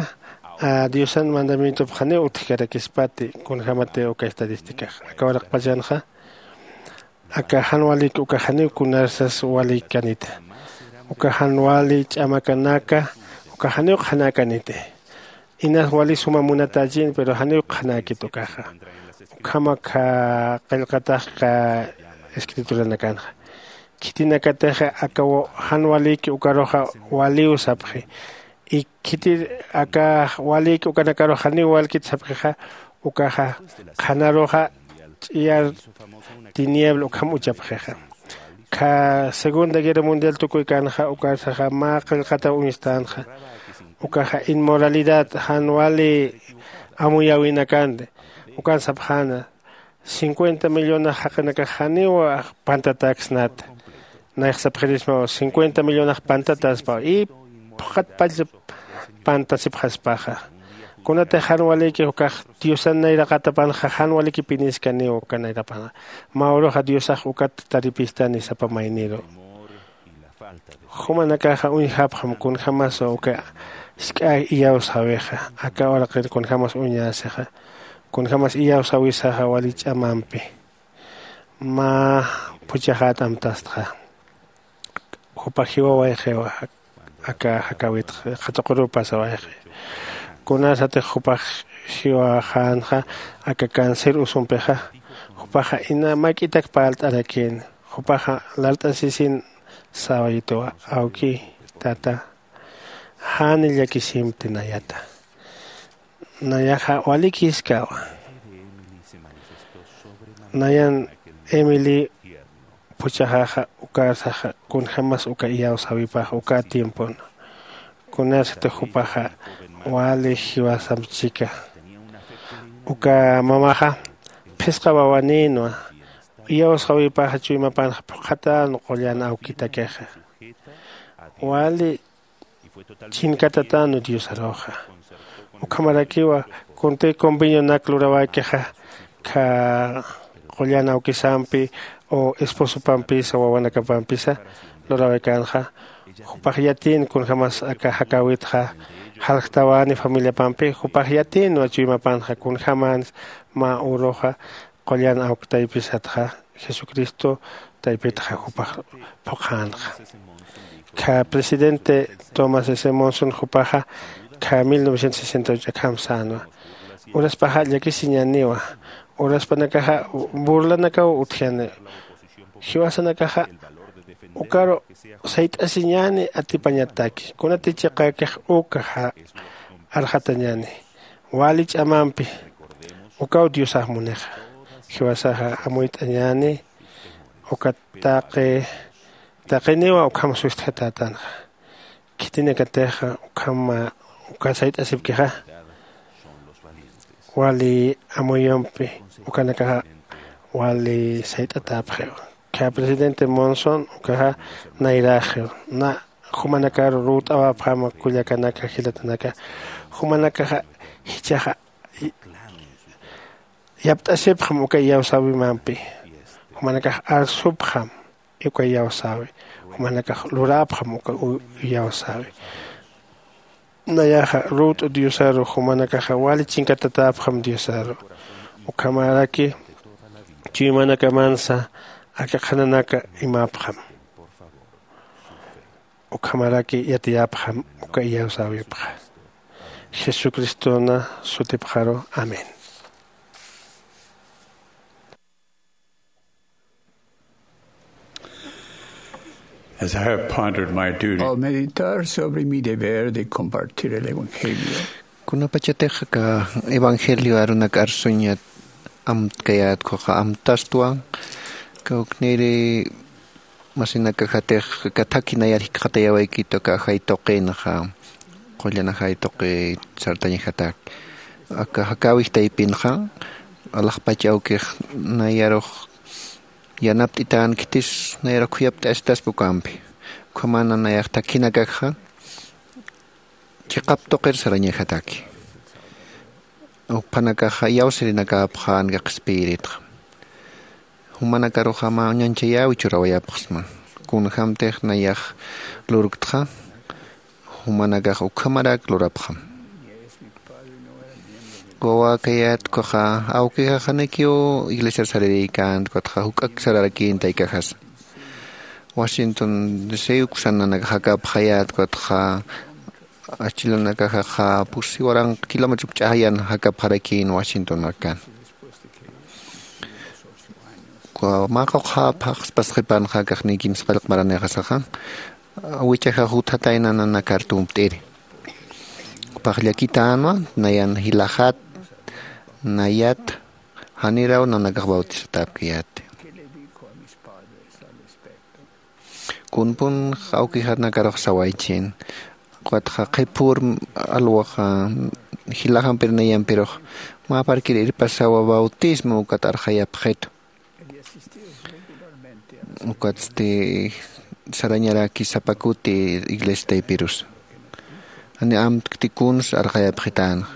a diosan mandamientopxaniw utjkarakispati kunjämati uka estadísticax aka uraqpachanxa. Aka jan walïki ukax janiw kunarsas walïkanita. Uka jan wali ch'amakanaka ukax janiw qhanäkaniti. Inas wali suma munatächin pero janiw qhanäkit ukaxa. Ukhamakxa qillqataxka escrituranakanxa khitinakatixa aka jan walïki ukaruxa waliw sapxi. Y khitir aka walïki ukanakarux janiw walkit sapxixa ukaxa qhanaruxa ch'iyar tiniebla ukham uchapxixa. Kha segunda guerra mundial tukuykänxa ukarsaxa mä qillqataw uñstänxa. Ukaxa inmoralidad jan wali amuyäwinakanti ukan sapxäna cincuenta millonax jaqinakax janiw pantatäksnata. Nayax sapxirismaw cincuenta millonax pantatäspaw y phuqatpach pantasipxaspaxa. Kunatix jan walïki ukax diosan nayraqatapanxa jan walïkipiniskaniw uka nayraqapanxa. Mä uruxa diosax ukat taripistani sapa mayniru. Jumanakaxa uñjapxam kunjämas uka isk'a iyawsäwixa aka uraqir kunjämas uñäsixa. Kunjämas iyawsäwisaxa wali ch'amampi mä phuchhaxät amtastxa. Jupax jiwawayxiwa aka jakäwitxa qhatuquru pasawayxi. Kunasatix jupax jiwaxänxa aka cáncer usumpixa. Jupaxa ina mak'itak parlt'arakïn. Jupaxa lart'asisin sawayituwa, awki, tata, jan llakisimti nayata. Nayaxa walikiskawa. Nayan emily puchaxaxa ukarsaxa kunjämas uka iyawsäwipax uka tiempon. Kunasati jupaxa wali jiwasamp chika. Uka mamaxa phisqa wawanïnwa. Iyawsäwipaxa chuymapanxa phuqhatän qullan awkitakixa. Wali chinkatatänu diosaruxa. Ukhamarakiwa kuntï convenionak lurawaykixa, kha qullan awkisampi o esposopampisa wawanakapampisa lurawaykanxa, jupax yatïn kunjämas aka jakäwitxa jaljtawani familiapampi. Jupax yatïnwa chuymapanxa kunjämans mä uruxa qullan awktaypisatxa jesucristo taypitxa jupax phuqhänxa. Kha presidente tomás s monson jupaxa kha mil novecientos sesenta y ocho akham sänwa. Uraspaxa llakisiñäniwa. Uraspanakaxa burlanakaw utjani. Jiwasanakaxa ukaru sayt'asiñäni atipañataki kunati chiqäkix uka arxatañäni. Wali ch'amampi ukaw diosax munixa. Jiwasaxa amuyt'añäni. Uka taqi taqiniwa ukham sustjatänxa. Khitinakatixa ukham uka sayt'asipkixa wali amuyumpi ukanakaxa wali sayt'atäpxiw. Kha presidente monson ukaxa nayräxiw. Na jumanakar rut'awapxam kullakanaka jilatanaka. Jumanakaxa jichhaxa yapt'asipxam uka iyawsäwimampi. Jumanakax arsupxam uka iyawsäwi. Jumanakax luräpxam uka iyawsäwi. Nayaxa rut'u diosaru jumanakaxa wali chinkatatäpxam diosaru. Ukhamaraki chuymanakamansa aka qhananaka imäpxam. Ukhamaraki yatiyäpxam uka iyawsäwipxa. Jesucristona sutipxaru. Amén. As I have pondered my duty, Al meditar sobre mi deber de compartir el Evangelio, kunapachatix aka evangelio arunak arsuñat amtkayät khuxa amtastwa. Kawkniri masinakajatix aka thakhi nayar jikxatayawaykit aka ajay tuqinxa. Qullan ajay tuqi sartañajataki aka jakäwij taypinxa alaxpach awkix nayarux yanapt'itänkhitis nayarux khuyapt'asitaspa ukampi. Ukhamana nayax thakhinakakxa chiqap tuqir sarañajataki. Ukphanakaxa iyawsirinakäpxän kaq espiritxa. Jumanakaruxa mä uñanchayäwi churawayapxsma. Kunjämtix nayax lurktxa jumanakax ukhamarak lurapxam. Wawäkayät ukhaxa awkixax janikiw iglesiar sarirïkänt ukatxa juk'ak sararakïnta ikajasa. Washington d c uksan nanakax jakapxayät ukatxa achilanakaxaxa pusi waranq kilómetros ch'ajayan jakapxarakïn washington markan. Mä qawqha phaxspas qhipanxa kaqniy kimsa qallq maranixasaxa wichajax juthatayna nanakar tumpt'iri. Jupax llakitänwa nayan jilaxat nayat janiraw nanakax bautizatäpkayäti. Kunpun awkixanakarux sawaychin ukatxa qhiphür alwaxa jilaxampir nayampirux mä parkir irpasawa bautismo ukat arxayapxitu. Ukatsti sarañaraki sapa kuti iglesia taypirusa. Jani amtkti kuns arxayapxitänxa.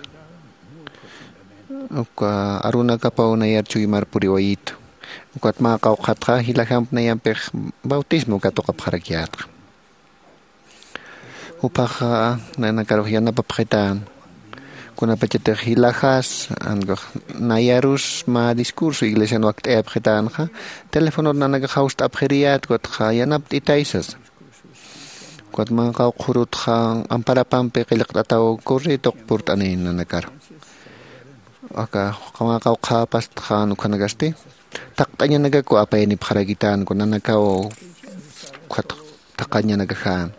Uka arunakapaw nayar chuymar puriwayitu. Ukat mä qawqhatxa jilajamp nayampix bautismo katuqapxarakyätxa. Juphaxa nanakarux yanapapxitän kunapachatix jilajas nayarus mä discurso iglesian wakt'ayapxitänxa. Telefonor nanakax jawst'apxiriyät ukatxa yanapt'itay sasa. Ukat manqaw qhurutxa amparapampi qillqt'ataw corretoq purt'anïn nanakaru. Aka qawqhapastxan ukhanakasti taqt'añanakaku apayanipxarakitän kunanakaw ukhat taqañanakaxän.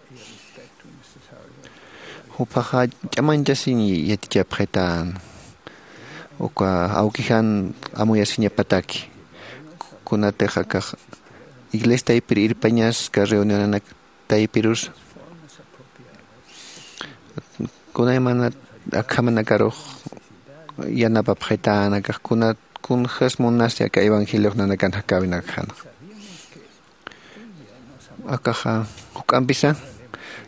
Juphaxa ch'amañchasiñ yatichapxitän uka awkijan amuyasiñapataki. Kunatix akax iglesia taypir irpañaska reunionanak taypirus kunaymana akhamanakarux yanapapxitän akax kunat kunjas munasi aka evangeliox nanakan jakäwinakxanxa. Akaxa juk'ampisa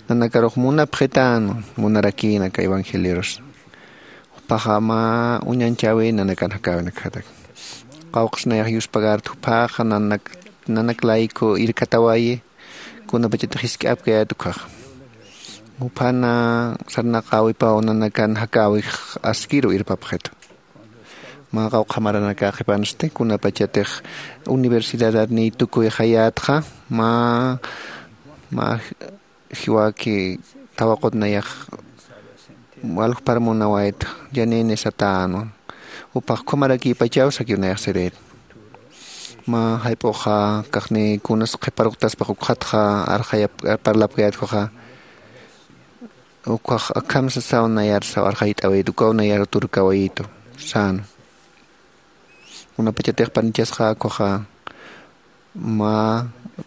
nanakarux munapxitän munarakïn aka evangeliorusa. Juphaxa mä uñanchäwi nanakan jakäwinakxatak. Qawqhas nayax yuspagarta juphaxa nanak nanak layku irkatawayi kunapachatix jisk'apkayät ukhaxa. Juphana sarnaqäwipaw nanakan jakäwix askiru irpapxitu. Mä qawqha maranaka qhipansti kunapachatix universidadatniy tukuyxayätxa mä mä jiwaki tawaqut nayax walkpar munawayta. Janini satänwa juphax ukhamarakïpachaw sakiw nayax sirït. Mä jayp'uxa kaxni kunas qhiparuqtaspax ukxatxa arxayap parlapkayät ukhaxa. Ukhax akham sasaw nayar saw arxayt'awayit ukaw nayar turkawayitu sän. Kunapachatix panichasxa ukhaxa mä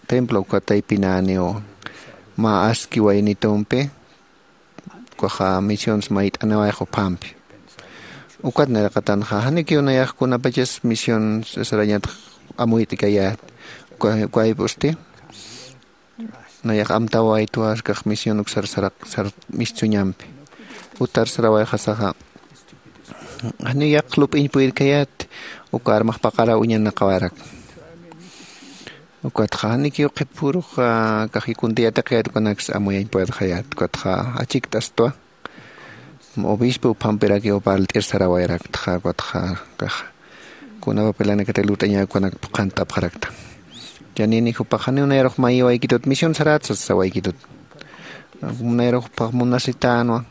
templo uka taypinäniw mä aski waynitumpi ukaxa misiones mayt'aniwayxa uphampi. Ukat nayraqatanxa janikiw nayax kunapachas misiones sarañatx amuyt'ikayät. Ukayp'usti nayax amtawaytwa kax misión uksar sar mistsuñampi utar sarawayxasaxa. Janiw yaqha lup'iñ puyirkayät uka armax paqaraw uñanaqawarak. Ukatxa janikiw qhipürux kax kunti yatiqayät ukanaksa amuyañpuyatxayät ukatxa achikt'astwa. Obispo uphampirakiw parlt'ir sarawayraktxa ukatxa kax kuna papelanakatix lurt'añäk ukanak phuqhant'apxarakta. Janini jupax janiw nayarux mayiwaykitut misión sarätsa sasawaykitut. Nayarux jupax munasitänwa.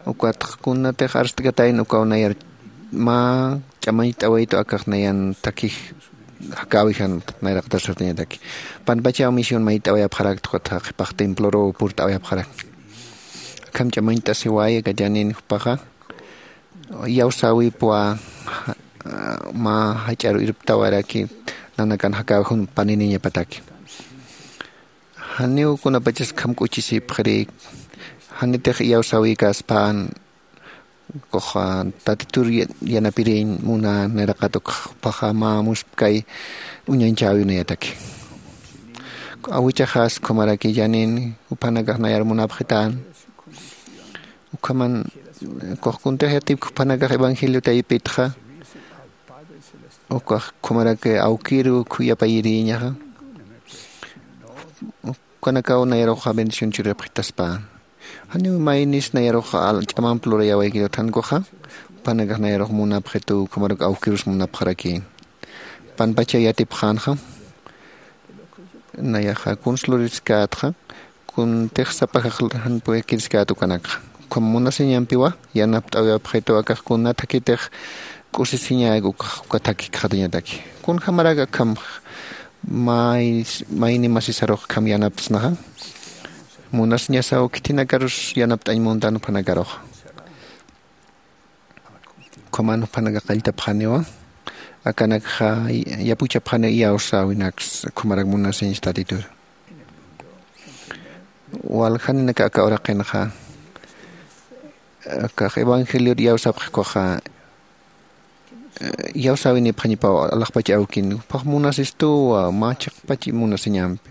Ukatxa kunatix arst'katayna ukaw nayar mä ch'amañcht'awaytu akax nayan thakij jakäwijan nayraqatasartañataki. Panpachaw misión mayt'awayapxarakta ukatxa qhipax temploruw purt'awayapxarakta. Akham ch'amañcht'asiway aka janini jupaxa iyawsäwipwa mä jach'aru irptawaraki nanakan jakäwij paniniñapataki. Janiw kunapachas akham k'uchisipxiri. Janitix iyawsäwikäspän ukax tatitur yanapiriñ munä nayraqat ukxa jupaxa mä muspkay uñañchäwiw nayataki. Awichaxas ukhamaraki janini juphanakax nayar munapxitän. Ukhaman ukax kuntix yatipki juphanakax evangelio taypitxa ukax ukhamaraki awkiru khuyapayiriñaxa. Ukanakaw nayaruxa bendición churipxitaspän. Janiw maynis nayaruxa ch'amamp lurayawaykitut jan ukaxa jupanakax nayarux munapxitu ukhamaruk awkirus munapxarakïn. Panpachaw yatipxänxa nayaxa kuns luriskätxa kuntix sapajax jan puyakiriskät ukanakxa. Ukham munasiñampiwa yanapt'awayapxitu akax kuna thakitix k'usisiñäk ukax uka thakikxatañataki. Kunjamarak akham mayni masisarux akham yanaptsnaxa. Munasiñasaw khithinakarus yanapt'añ muntan juphanakaruxa. Ukhaman juphanaka qalltapxaniwa akanakxa yapuchapxaniw iyawsäwinaksa ukhamarak munasiñsa tatitur. Waljaninaka aka uraqinxa akax evangelior iyawsapxi ukaxa iyawsäwinipxañapaw alaxpach awkin juphax munasistuwa mä chiqpach munasiñampi.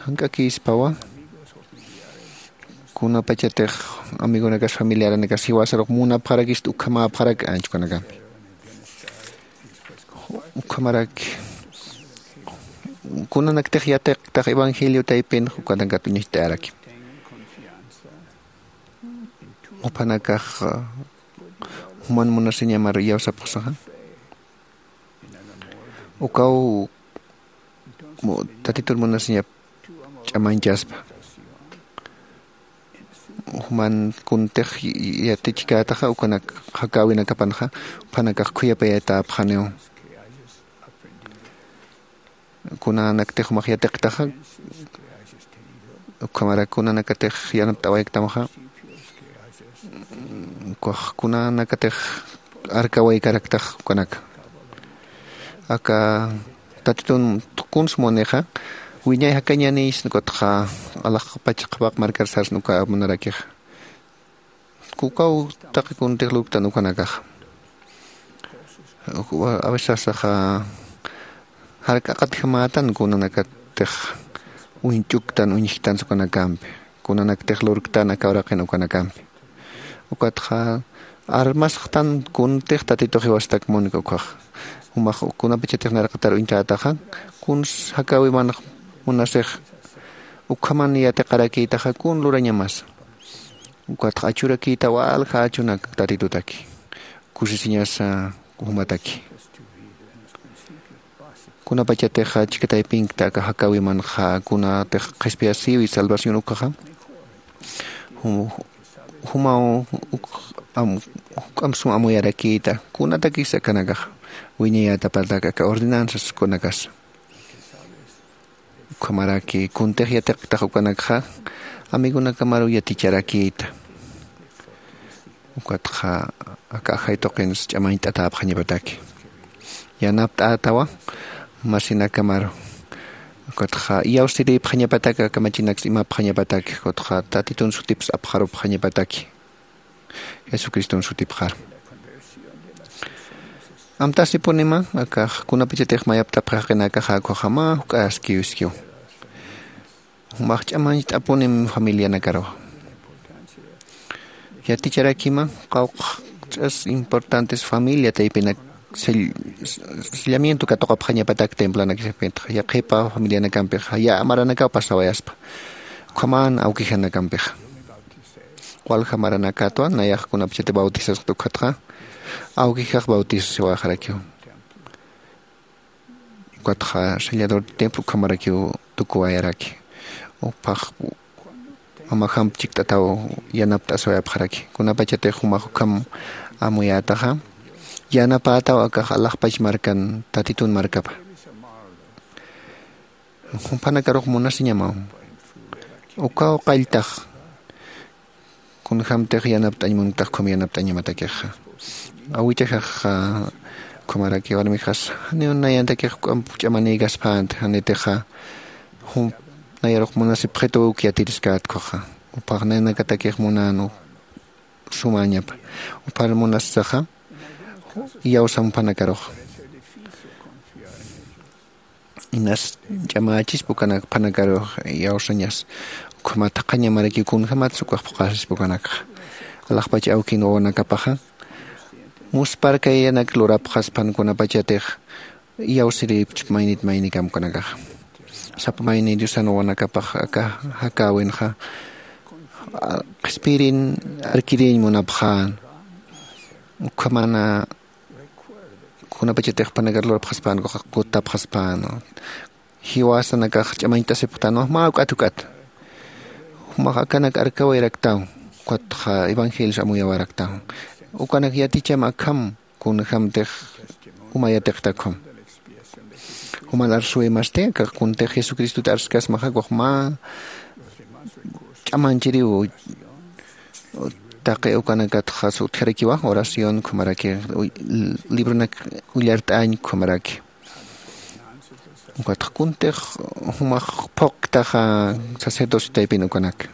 Jank'akïspawa kunapachatix amigonakas familiaranakas jiwasarux munapxarakista ukhamäpxarak anchukanakampi. Ukhamaraki kunanaktix yatiqtax evangelio taypinxa ukanakat uñacht'ayarakim. Juphanakax juman munasiñamar iyawsapxsaxa ukaw tatitur munasiñap ch'amañchaspa. Juman kuntix yatichkätaxa ukanak jakäwinakapanxa, juphanakax khuyapayätäpxaniw. Kunanaktix jumax yatiqtaxa, ukhamarak kunanakatix yanapt'awayaktamxa, ukax kunanakatix arkawaykaraktax ukanaka. Aka Tatitun kuns munixa, wiñay jakañäni sna, ukatxa alaxpach qhapaq markar sarsna uka munarakixa. Ukaw taqi kuntix lurktan ukanakaxa. A veces sasaxa, jark'aqatjamätan kunanakatix uñch'uktan uñjktan ukanakampi, kunanaktix lurktan aka uraqin ukanakampi. Ukatxa armasxtan kuntix Tatitux jiwastak munki ukkhaxa. Jumax kunapachatix narqatar uñt'ätaxa, kuns jakäwimanx munasix ukhaman yatiqarakïtaxa kun lurañamasa. Ukatxa achurakïta walja achunak Tatitutaki, kusisiñasa jumataki. Kunapachatixa chika taypinkta aka jakäwimanxa kunatix qhispiyasïwi salvación ukkhaxa, jum- jumaw uk- am- juk'amp sum amuyarakïta kunatakis akanakaxa wiñayätapatak aka ordenanzas kunakasa. Ukhamaraki kuntix yatiqtax ukanakxa amigonakamaru yaticharakïta. Ukatxa aka ajay tuqins ch'amañt'atäpxañapataki, yanapt'ätawa masinakamaru. Ukatxa iyawsirïpxañapataki, kamachinaks imapxañapataki, ukatxa Tatitun sutips apxarupxañapataki, Jesucristun sutipxar. Amtasipunima akax kunapachatix mayapt'apxi jaqinakaxa, ukkhaxa mä juk'askiw iskiw. Jumax ch'amañcht'apunim familianakaruxa. Yaticharakima qawqch'as importantes familia taypinak sell- sellamiento katuqapxañapatak templanakisipintaxa, yaqhipa familianakampixa yä maranakaw pasawayaspa, ukhaman awkijanakampixa. Walja maranakatwa nayax kunapachati bautizasxta ukkhatxa, awkijax bautizasiwayxarakiw. Ukatxa sellador de templo ukhamarakiw tukuwayaraki. Upax mamajamp chikt'ataw yanapt'aswayapxaraki. Kunapachatix jumax ukham amuyätaxa, yanapätaw akax alaxpach markan Tatitun markapa. Jumpanakarux munasiñamaw. Ukaw qalltax. Kunjämtix yanapt'añ munktax ukham yanapt'añamatakixa. Awichajaxa ukhamaraki warmixas janiw nayantakix juk'amp ch'amanïkaspänti, janitixa jump nayarux munasipxitu uk yatiriskäta ukkhaxa. Upax nayanakatakix munän sumäñapa. Uphar munassaxa iyawsam jumpanakaruxa. Inas ch'amächispa ukanak jumpanakaru iyawsañas. Ukhamat jaqhañamarakiw kunjämatsa ukax phuqhasispa ukanakxa. Alaxpach awkin wawanakapaxa muspharkayanak lurapxaspan kunapachatix iyawsirïpchpa maynit maynikam ukanakaxa. Sapa mayni Diosan wawanakapax aka jakäwinxa, a, qhispirin arkirïñ munapxän. Ukhamana kunapachatix jupanakar lurapxaspän, kutapxaspän, jiwasanakax ch'amañt'asipxtänwa mä juk'at juk'at. Jumax akanak arkawayaraktaw, ukatxa evangelios amuyawaraktaw. Ukanak yaticham akham kunjämtix uma yatiqta ukham. Juman arsuwimasti, akax kuntix Jesucristut arskasmaxa, ukax mä ch'amanchiriw taqi ukanakatxa utjarakiwa, oración ukhamaraki, uy-, libronak ullart'añ ukhamaraki. Ukatxa kuntix jumax phuqktaxa sacerdocio taypin ukanak.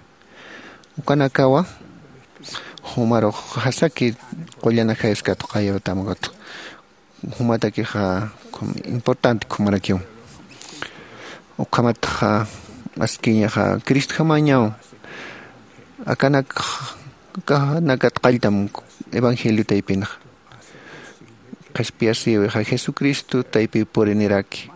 Ukanakawa jumarux jasaki qullan ajayus katuqayätam, ukatxa jumatakixa importante ukhamarakiw. Ukhamatxa askiñaxa Cristjamañaw akanak, akanakat qalltam evangelio taypinxa. Qhispiyasïwixa Jesucristo taypiw puriniraki.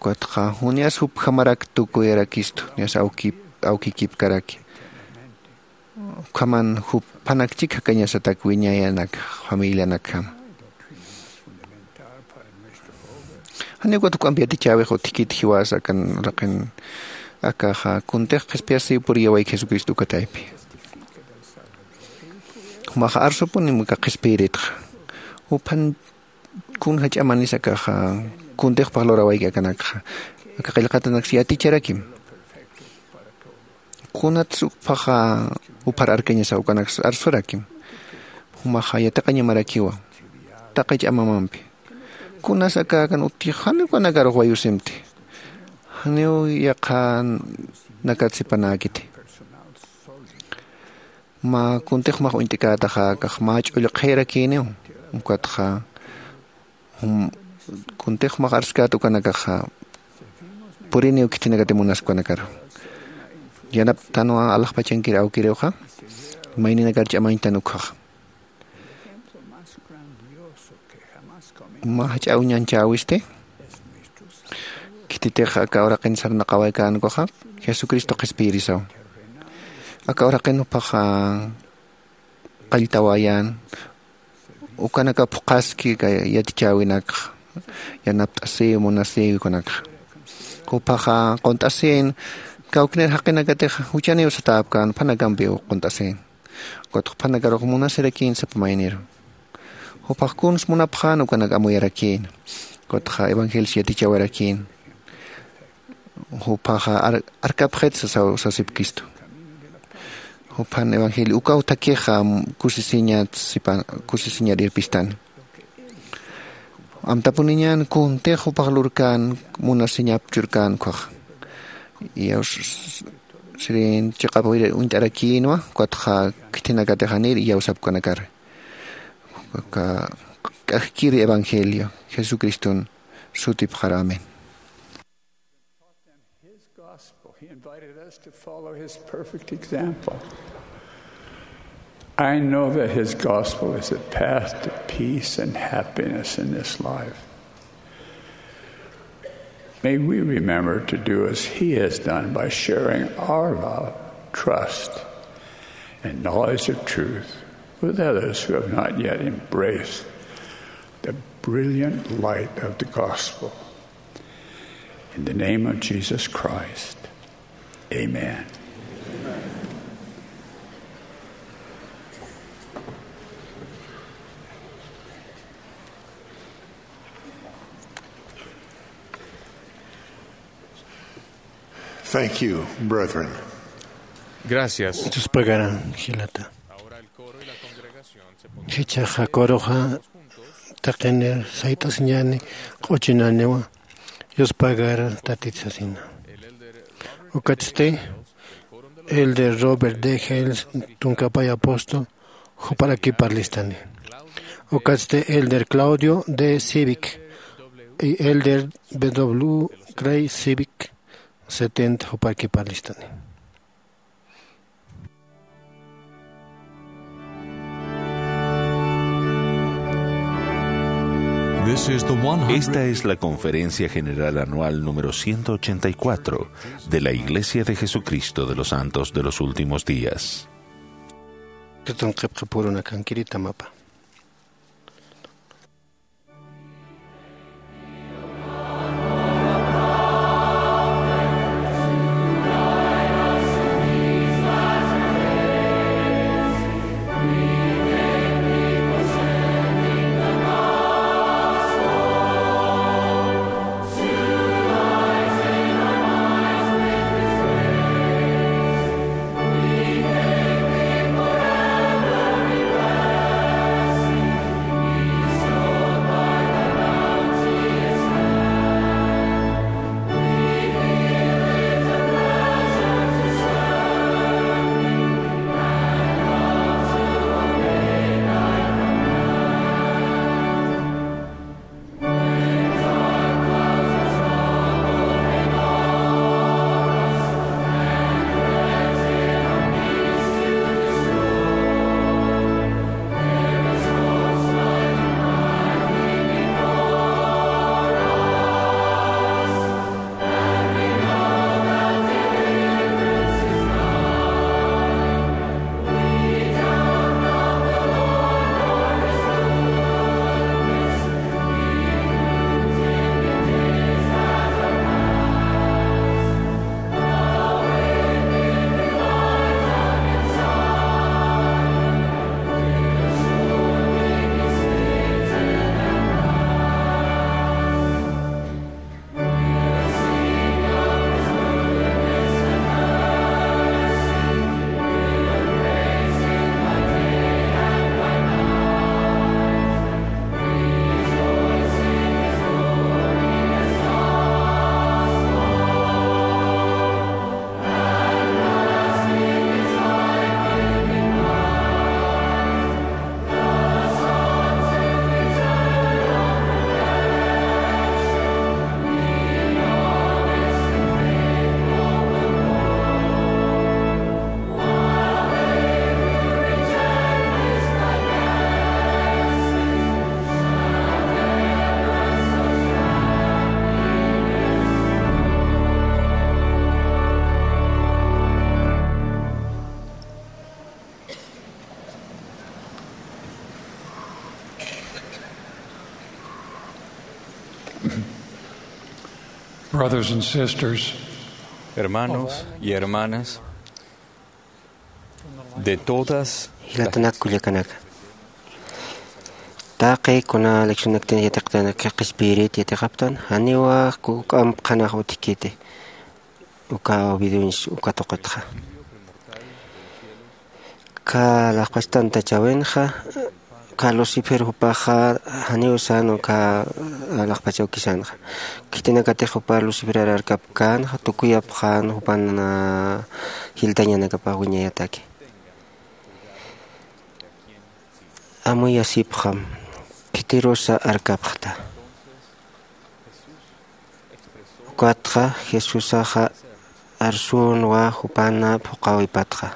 Ukatxa junias jupjamarak tukuyarakistu, junias awki-, awkikipkaraki. Ukhaman juphanak chik jakañasatak wiñayanak familianakjama. Janiw ukat juk'amp yatichäwix utjkit jiwas akan uraqin Akaxa kuntix qhispiyasiw puriyawayki Jesucristo uka taypi. Jumaxa arsupunim aka qhispiyiritxa. Juphan kun jach'amanis akaxa kuntix pajlurawayki akanakxa. Aka qillqatanaksa yaticharakim. Kunatsa ukphaxa uphar arkañasa ukanaksa arsurakim. Jumaxa yatiqañamarakiwa taqi ch'amamampi. Kunas aka akan utji janiw ukanakarux wayusimti. Janiw yaqha nakat sipanäkiti. Mä kuntix jumax uñt'ikätaxa akax mä ch'ullqhirakïniw. Ukatxa jum kuntix jumax arskät ukanakaxa puriniw khithinakati munas ukanakar. Yanaptänwa alaxpachankir awkiriwxa mayninakar ch'amañtan ukhaxa. Mä jach'a uñanchäwisti. Khititix aka uraqin sarnaqawaykänkwaxa Jesucristo qhispiyirisaw. Aka uraqin juphaxa qalltawayän ukanaka phuqhaski aka yatichäwinakxa. Yanapt'asiw munasiw ukanakxa. Juphaxa qunt'asïn kawknir jaqinakatix juchaniw satäpkän phanakampiw qunt'asïn. Ukatxa phanakarux munasirakïn sapa mayniru. Juphax kuns munapxän ukanak amuyarakïn. Ukatxa evangelio yatichawarakïn. Juphaxa ar- arkapxit sasaw sasipkistu. Juphan evangelio ukaw thakixa kusisiñat sipan kusisiñar irpistan. Amtapuniñan kuntix jupax lurkän munasiñap churkän ukhax. Iyaw s- s- sirin chiqapiri uñt'arakïnwa ukatxa khithinakatix janir iyaw sapkanakar. Aka k'akkiri evangelio Jesucriston sutipxar. Amén. His gospel. He invited us to follow his perfect example. I know that his gospel is the path to peace and happiness in this life. May we remember to do as he has done by sharing our love, trust, and knowledge of truth with others who have not yet embraced the brilliant light of the gospel. In the name of Jesus Christ, amen. Thank you, brethren. Gracias. Yuspagarä, jilata. Jichhaxa coruxa taqinir sayt'asiñäni q'uchinaniwa yuspagar tatit sasina. Ukatsti elder Robert D. Hales, tunkapay apóstol, juparakipar listani. Ukatsti elder Claudio D. Civic y elder W. Craig Civic, setenta, juparakipar listani. This is the one hundred. Esta es la Conferencia General Anual número ciento ochenta y cuatro de la Iglesia de Jesucristo de los Santos de los Últimos Días. Tutanqipxi purunakankirita mapa. Brothers and sisters, hermanos y hermanas, de todas las... Jilatanak kullakanaka, taqi kuna leccionaktan yatiqtanaka qhispirit yatiqaptan, janiwa juk'amp qhanax utjkiti uka obediencia uka tuqitxa. Ka laqpach tantachawinxa, ka Lucifer jupaxa janiw sän uka laqpach awkisanxa. Khitinakatix jupa Luciferar arkapkänxa, tukuyapxän jupan jiltañanakapax wiñayataki. Amuyasipxam, khitirusa arkapxta. Ukatxa Jesusaxa arsünwa jupan phuqhawipatxa,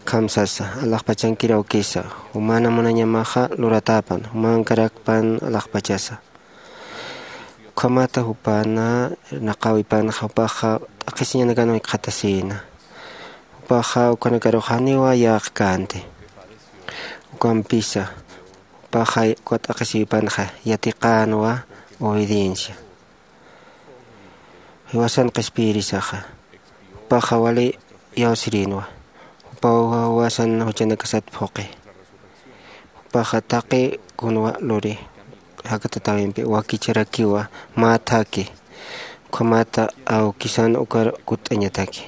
akham sasa: Alaxpachankir awkisa, jumana munañamaxa luratäpan, jumankarakpan alaxpachasa. Ukhamata jupan irnaqäwipanxa, jupaxa t'aqhisiñanakan jikxatasïna. Jupaxa ukanakarux janiwa yäqkänti. Ukampisa jupaxa uka t'aqhisïwipanxa yatiqänwa obediencia. Jiwasan qhispiyirisaxa, jupaxa wali iyawsirïnwa. Jupaw jiwasan juchanakasat phuqhi. Jupaxa taqi kunwa luri jakatatäwimpi wakicharakiwa mä thakhi. Ukhamata awkisan ukar kutt'añataki.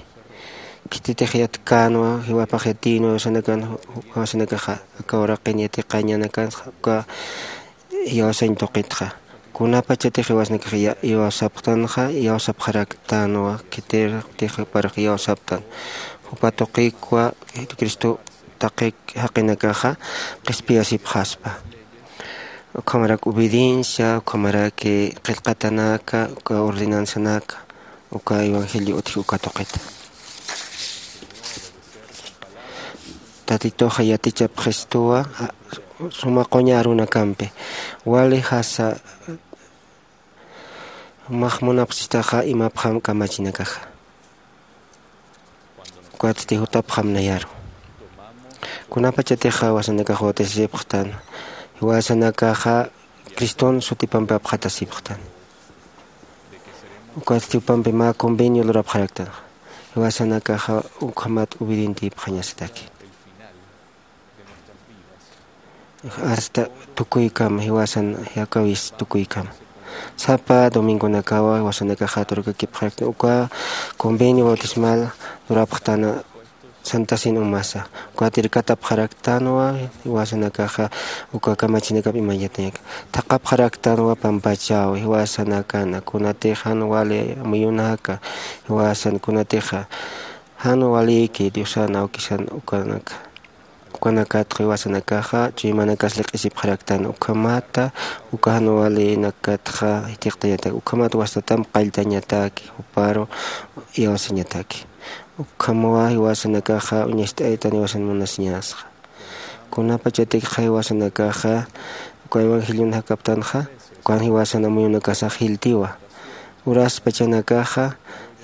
Khititix yatkänwa, jiwapax yatïnwa jiwasanakan, jiwasanakaxa aka uraqin yatiqañanakan uka iyawsañ tuqitxa. Kunapachatix jiwasanakax ya-, iyawsapxtanxa, iyawsapxaraktänwa, khitirtix juparux iyawsaptan. Jupa tuqikwa Jesucristo taqi jaqinakaxa qhispiyasipxaspa. Ukhamarak obediencia, ukhamarak qillqatanaka, uka ordenanzanaka, uka evangelio utji uka tuqita. Tatituxa yatichapxistuwa suma quña arunakampi. Wali jasa, jumax munapxistaxa imapxam kamachinakaxa. Ukatsti jutapxam nayaru. Kunapachatixa jiwasanakax bautisasipxtan, jiwasanakaxa Criston sutipampi apxatasipxtan. Ukatsti jupampi mä convenio lurapxaraktan. Jiwasanakaxa ukhamat obedientipxañasataki. Hasta tukuykama, jiwasan jakawis tukuykama. Sapa domingonakawa jiwasanakaxa turkakipxaraktan uka convenio bautismal lurapxtana Santa Cena umasa. Ukat irkatapxaraktanwa jiwasanakaxa uka kamachinakap imañatañak. Thaqhapxaraktanwa pampachaw jiwasanakana, kunatix jan wali amuyunaka, jiwasan kunatixa jan waliki Diosan awkisan ukanaka. Ukanakatxa jiwasanakaxa chuymanakas laq'isipxaraktan, ukhamata uka jan walinakatxa jithiqtañataki, ukhamata wastatamp qalltañataki, juparu iyawsañataki. Ukhamwa jiwasanakaxa uñacht'aytan jiwasan munasiñasxa. Kunapachatikxa jiwasanakaxa uka evangelionakaptanxa, ukan jiwasan amuyunakasax jiltiwa. Uraspachanakaxa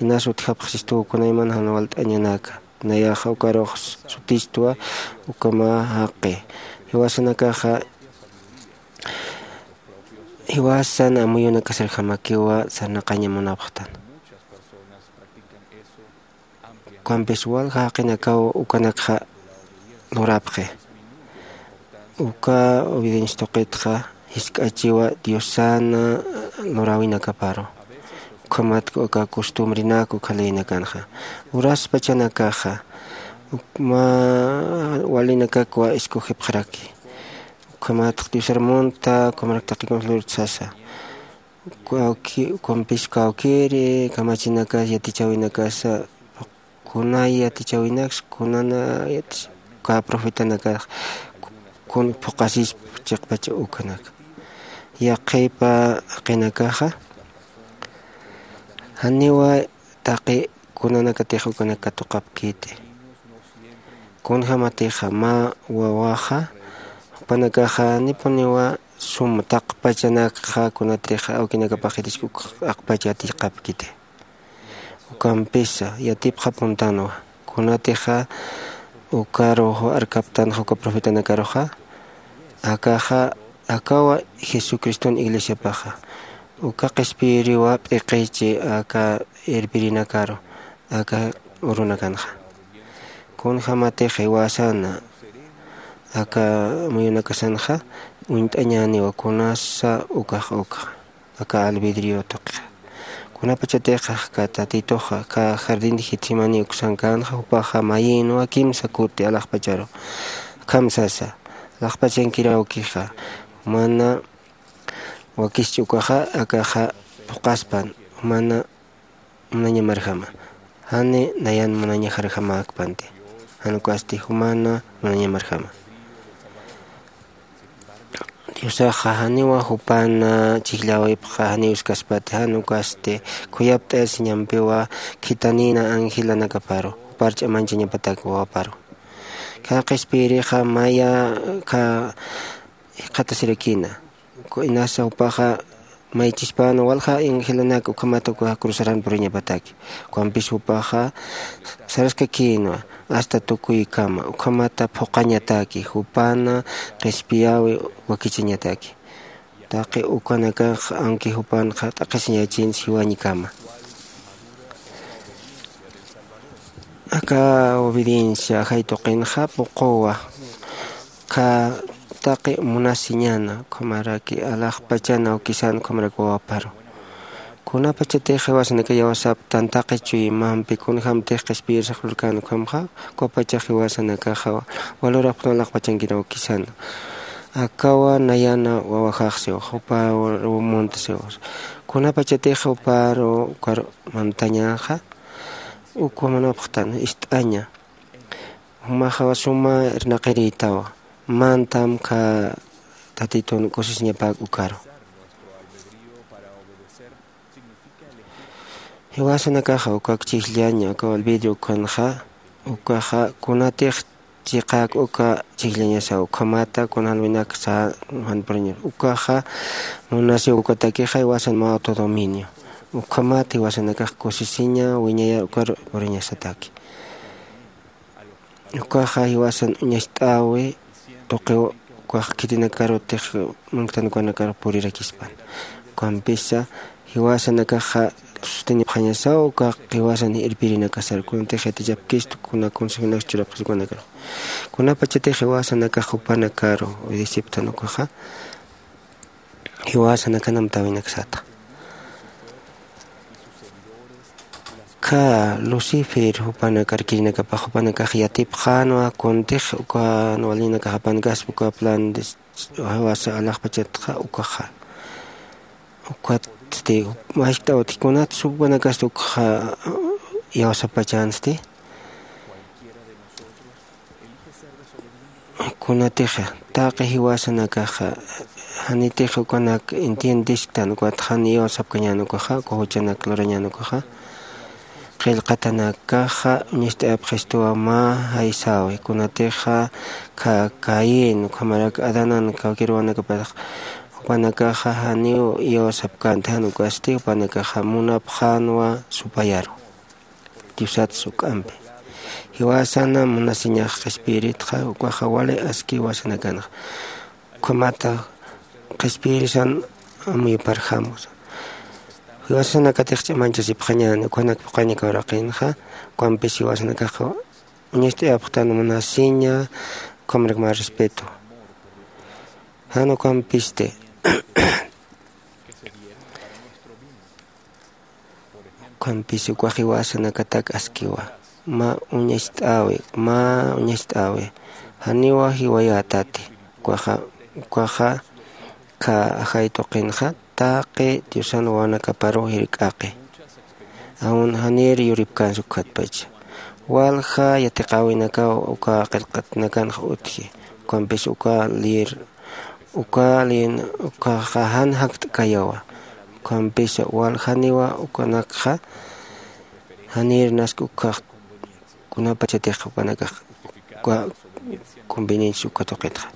inas utjapxistuwa kunayman jan walt'añanaka. Nayaxa ukarux sutistwa, ukama jaqi. Jiwasanakaxa, jiwasan amuyunakasarjamakiwa sarnaqaña munapxtan. Ukampis walja jaqinakaw ukanakxa lurapxi. Uka obediencia tuqitxa jisk'achiwa Diosana luräwinakaparu. Ukhamatku aka costumbrenak uka leynakanxa. Uraspachanakaxa, uk-, mä walinakakwa escogipxaraki. Ukhamatx Diosar munta, ukhamarak taqi kunsa lurt'sasa. Kawki-, ukampis kawkiri kamachinakas, yatichäwinakasa, kunay yatichäwinaks, kunana yatich-, uka profetanakax, ku-, kun phuqasispa chiqpach ukanaka. Yaqhipa jaqinakaxa, janiwa taqi kunanakatix ukanak katuqapkiti. Kunjämatixa mä wawaxa, jupanakaxa janipuniwa sum taqpachanakxa kunatixa awkinakapax jitisku uk aqpach yatiqapkiti. Ukampisa yatipxapuntanwa, kunatixa ukarux arkaptanxa uka profetanakaruxa, akaxa, akawa Jesucriston iglesiapaxa. Uka qhispiyiriwa p'iqichi aka irpirinakaru aka urunakanxa. Kunjämatix jiwasana aka muyunakasanxa uñt'añäniwa kunasa ukax ukxa aka albedrio tuqixa. Kunapachatix aka tatituxa aka jardín de getsemaní uksankänxa jupaxa mayïnwa kimsa kuti alaxpacharu akham sasa, alaxpachankiraw ukixa mana wakischi ukaxa akaxa phuqaspan jumana munañamarjama. Jani nayan munañajarjamäkpanti jan ukasti jumana munañamarjama. Diosaxa janiwa jupana chhijllawipxa janiw iskaspati jan ukasti khuyapt'ayasiñampiwa khitanïna angelanakaparu jupar ch'amañchañapatak wawaparu. Kha qhispiyirixa maya kha jikxatasirakïna. Inasa jupaxa maychispäna walja angelanak ukhamat ukax cruzaran puriñapataki. Ukampis jupaxa saraskakïnwa asta tukuykama ukhamata phuqañataki jupana qhispiyäwi wakichañataki. Taqi ukanakax aunque jupanxa t'aqhisiñachin jiwañkama. Aka obediencia ajay tuqinxa puquwa kha taqi munasiñana ukhamaraki alaxpachana awkisan ukhamaraki wawaparu. Kunapachatix jiwasanaka iyawsaptan taqi chuymampi kunjämtix qhispiyirsax lurkän ukhamxa ukapachax jiwasanakaxa walurapxtan alaxpachankiraw ukisana. Akawa nayana wawajaxsiw juparu muntasiw. Kunapachatix juparu ukar mantañaxa ukwa manapxtan ist'aña. Jumaxawa suma irnaqirïtawa mantam kha tatitun kusisiñapäk ukaru. Jiwasanakaxa ukak chhijllaña ukaw albedrio ukhanxa ukaxa kunatix chiqäk uka chhijllañasaw ukhamata kunalwinak sä jan puriñar ukaxa munasiw ukatakixa jiwasan mä autodominio. Ukhamat jiwasanakax kusisiña wiñayar ukar puriñasataki. Ukaxa jiwasan uñacht'äwi tuqiw ukax khitinakarutix munktan ukanakar purirakispan. Ukampisa jiwasanakaxa sutinipxañasaw ukax jiwasan irpirinakasar kunatix yatichapkistu kuna consejonak churapxis ukanakar. Kunapachatix jiwasanakax jupanakaru disiptan ukaxa jiwasanakana amtäwinakasata. Kha lucifer jupanakar kirinakapax jupanakax yatipxänwa kuntix ukan walinakax apankaspa uka plan de jiwasa alaxpachatxa ukaxa. Ukatsti maskt'awtix kunatsa jupanakasti ukaxa iyawsapachänsti. Kunatixa taqi jiwasanakaxa janitix ukanak entiendesktan ukat jan iyawsapkañän ukaxa uka juchanak lurañän ukaxa. Qillqatanakaxa uñacht'ayapxistuwa mä jaysäwi kunatixa kha caín ukhamarak adanan kawkïr wawanakapatax jupanakaxa janiw iyawsapkänti jan ukasti jupanakaxa munapxänwa supayaru. Diosat suk'ampi jiwasana munasiñax qhispiyiritxa ukaxa wali aski jiwasanakanxa. Ukhamata qhispiyirisan amuyuparjam jiwasanakatix ch'amañchasipxañäni ukhanak phuqañak uraqinxa. Ukampis jiwasanakaxa uñacht'ayapxtan munasiña ukhamarak mä respeto. Jan ukampisti ukhampis ukax jiwasanakatak askiwa mä uñacht'äwi mä uñacht'äwi janiwa jiwayätati. Ukaxa ukaxa kha ajay tuqinxa taqi diosan wawanakaparuw jirk'aqi. Aun janir yuripkänsa ukhatpacha walja yatiqäwinakaw uka qillqatanakanxa utji. Ukampis uka lïr uka lïn ukaxa jan jakt'kayawa. Ukampisa waljaniwa ukanakxa janir nask ukjax kunapachatix jupanakax uka conveniencia uka tuqitxa.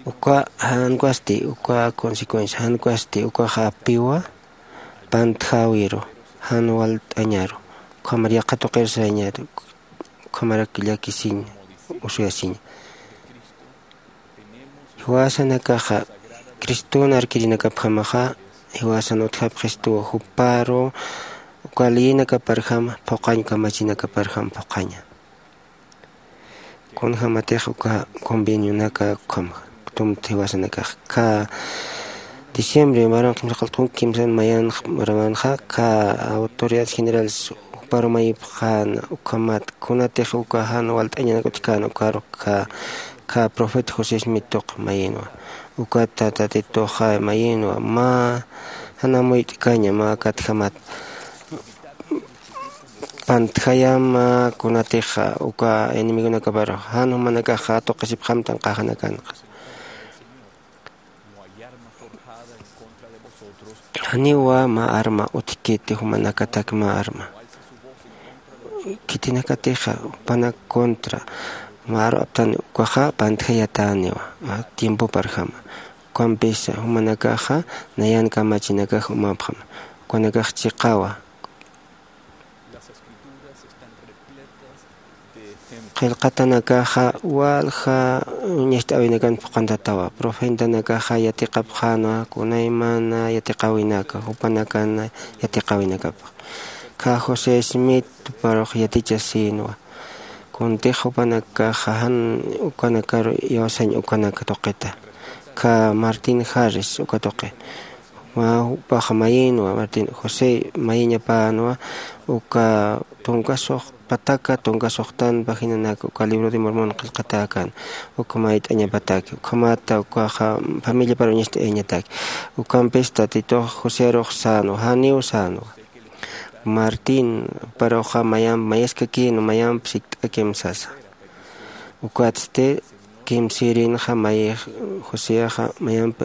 Uka jan ukasti uka consecuencia jan ukasti ukaxa apiwa pantjäwiru jan walt'añaru ukhamar yaqha tuqir sarañaru ukhamarak llakisiña usuyasiña. Jiwasanakaxa Criston arkirinakapjamaxa jiwasan utjapxistuwa, juparu uka leyinakaparjam phuqañ, kamachinakaparjam phuqaña. Kunjämatix uka convenionaka ukhamxa tumta jiwasanakax, ka diciembre maran qimsaqalt'un kimsan mayanx marawanxa, ka autoridades generales juparu mayipxäna. Ukhamat kunatix uka jan walt'añanak utjkän ukarux, ka profeta José Smith tuq mayinwa. Ukata Tatituxa mayinwa, mä jan amuyt'kaña, mä katjamat pantjayama kunatixa uka enemigonakaparu jan jumanakaxa tuqisipxamtan qajanakanxa. Janiwa mä arma utjkiti jumanakatak mä arma. Khitinakatixa jupanak contra mä aru aptan ukaxa pantjayatäniwa tiempoparjama. Ukampisa jumanakaxa nayan kamachinakax umapxama, ukanakax chiqawa. Qillqatanakaxa walja uñacht'äwinakan phuqantatawa. Profetanakaxa yatiqapxänwa kunaymana yatiqäwinaka jupanakan yatiqäwinakapxa. Kha José Smith juparux yatichasïnwa. Kuntix jupanakaxa jan ukanakaru iyawsañ ukanak tuqita. Kha Martin Harris uka tuqi. Mä jupaxa mayinwa, Martin José mayiñapänwa uka tunkasux pataka, tunkasuxtan paginanaka uka libro de Mormon qillqatäkän, uka mayt'añapataki. Ukhamata ukaxa familiapar uñacht'ayañataki. Ukampis Tatitux Josearux sänwa, janiw sänwa. Martin juparuxa mayamp mayaskakïnwa, mayamp sikt'akim sasa. Ukatsti kimsïrinxa mayix Joseaxa mayamp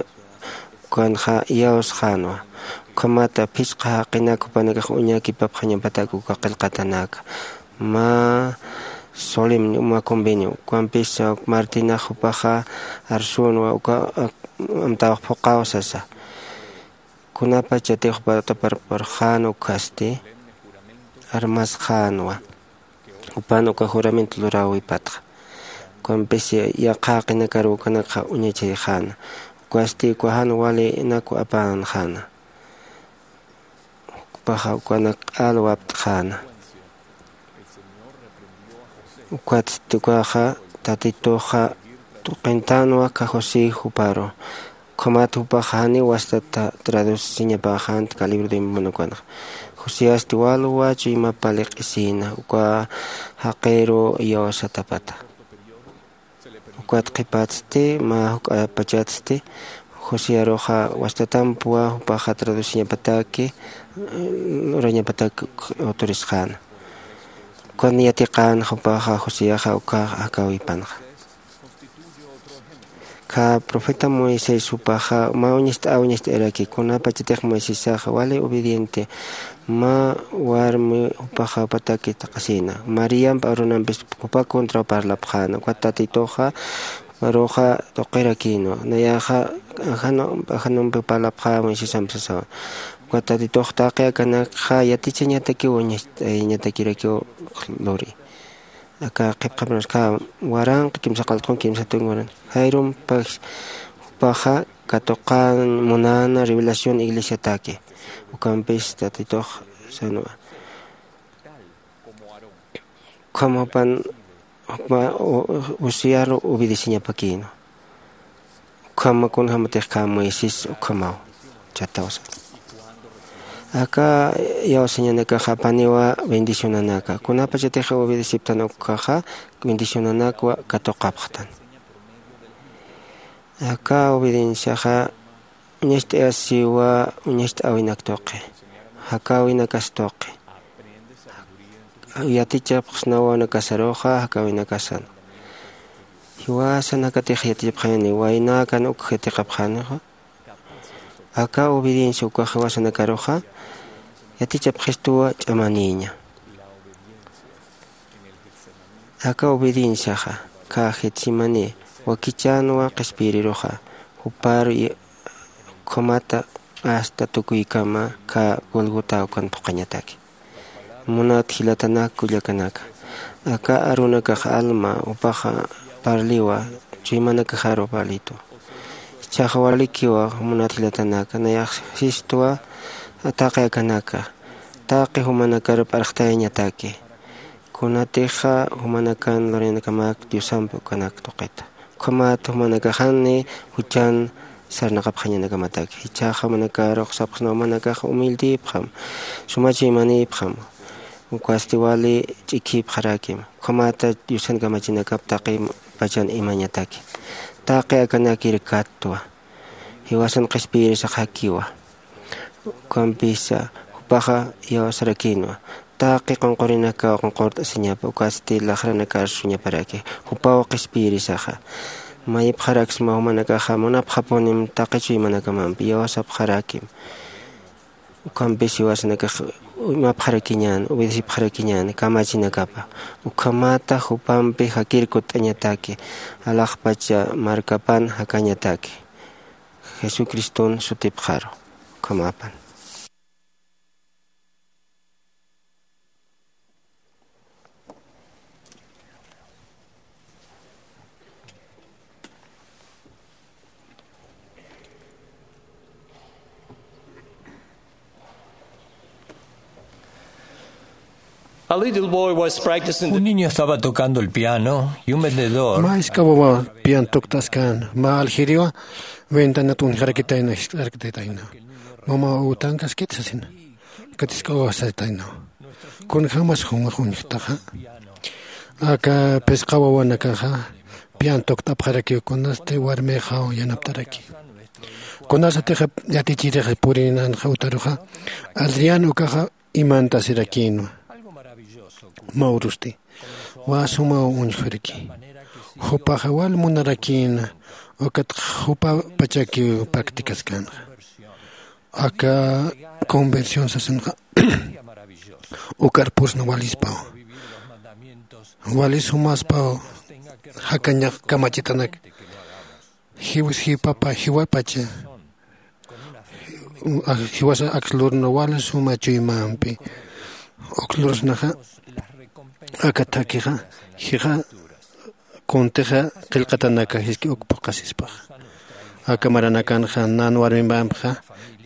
ukanxa iyawsxänwa. Ukhamata phisqa jaqinak jupanakax uñakipapxañapatak uka qillqatanaka. Mä solemne uma convenio. Ukampis Martinax jupaxa arsünwa uka amtawax phuqaw sasa. Kunapachatix jupataparparxän ukhasti armasxänwa. Jupan uka juramento luräwipatxa. Ukampis yaqha jaqinakaru ukanakxa uñachayxäna. Ukasti uka jan walinakwa apänxäna. Jupaxa ukanak q'al wapt'xäna. Ukatsti ukaxa Tatituxa tuqintänwa kha José juparu. Ukhamat jupaxa janiw wastata traduciñapäxänti kha libro de Mormon ukanxa. Joseasti walwa chuyma pali q'isïna uka jaqiru iyawsatapata. Ukat qhipatsti mä juk'apachatsti Josearuxa wastatampwa jupaxa traduciñapataki, lurañapataki autorisxäna. Ukan yatiqän jupaxa Joseaxa uka jakäwipanxa. Kha profeta Moisés jupaxa mä uñacht'ä uñacht'ayraki, kunapachatix Moisésaxa wali obediente mä warmi jupaxa jupataki taqasïna. Mariamp Aaronampis jupa contraw parlapxäna. Ukat Tatituxa juparuxa tuqirakïnwa. Nayaxa ajanumpi parlapxä Moisésamp sasawa. Ukat Tatitux taqi akanakxa yatichañatakiw uñacht'ayañatakirakiw luri. Aka qhipqapxarunax kha waranqa kimsa qallqun kimsa tunka waranqa. Jairumpis jupaxa katuqañ munäna revelación iglesiataki. Ukampis Tatitux sänwa. Ukham jupan, jupa, u-, u-, Josearu obedeciñapakïnwa. Ukhama kunjämatix kha Moisés ukhamaw. Chatawsa. Aka iyawsañanakaxa apaniwa bendicionanaka. Kunapachatix obedeciptan ukaxa bendicionanakwa katuqapxtan. Aka obedienciaxa uñacht'ayasiwa uñacht'äwinak tuqi. Jakäwinakas tuqi. Yatichapxsnawa wanakasaruxa jakäwinakasan. Jiwasanakatix yatichapxani, waynäkan uk yatiqapxanixa. Aka obediencia ukax jiwasanakaruxa yatichapxistuwa ch'amanïña. Aka obedienciaxa kha Getsemaní wakichänwa qhispiyiriruxa, jupar y-, ukhamata hasta tukuykama kha Golgota ukan phuqañataki. Munat jilatanak kullakanaka, aka arunakax alma jupaxa parliwa, chuymanakaxaru parlitu. Jichhaxa walikiwa munat jilatanaka, nayax sistwa taqi akanaka, taqi jumanakaru p'arxtayañataki. Kunatixa jumanakan lurayanakamaki diosampi ukanak tuqita. Ukhamat jumanakaxani juchan sarnaqapxañanakamataki. Jichhaxa jumanakarux sapxsna jumanakax humildïpxam, sumachuymanïpxam, ukasti wali ch'ikhïpxaräkim. Ukhamata diosan kamachinakap taqi pachan imañataki. Taqi akanakir kattwa, jiwasan qhispiyirisaxakiwa. Ukampisa jupaxa iyawsarakïnwa. Taqi qunqurinakaw qunqurt'asiñapa, ukatsti laxranakar suñaparaki. Jupaw qhispiyirisaxa. Mayipxaraksma jumanakaxa munapxapunim taqi chuymanakamampi iyawsapxarakim. Ukampis jiwasanakax uñmapxarakiñän, obedecipxarakiñän kamachinakapa. Ukhamata jupampi jakir kutt'añataki, alaxpacha markapan jakañataki. Jesucriston sutipxaru. Ukhamapan. A little boy was practicing the Un niño estaba tocando el piano y un vendedor Mä jisk'a wawa pian tuktaskan, mä aljiriwa ventanat uñjarakitayna, jisk'arakitayna. Mama, utankaskit sasina. Katisk'awasatayna. Kunjämas jumax uñjtaxa. Aka phisqa wawanakaxa pian tukt'apxarakiw, kunasti warmixa yanaptaraki. Kunasatixa yatichirix purinanxa utaruxa, Adrián ukaxa imantasirakinwa. Mä urusti. Wä sumaw uñjiraki. Jupaxa wal munarakïna, ukat jupa pachakiw practicaskänxa. Aka conversión sasinxa, ukar pusna walispaw. Wali sumaspaw jakañax kamachitanak. Jiwas jipapa, jiwapacha. Jiwasa akslurna wal suma chuymampi. Ukslurnaxa, aka thakixa, jixa, kuntixa qillqatanaka jiski uk phuqasispax. Aka maranakanxa nan warmimbampixa,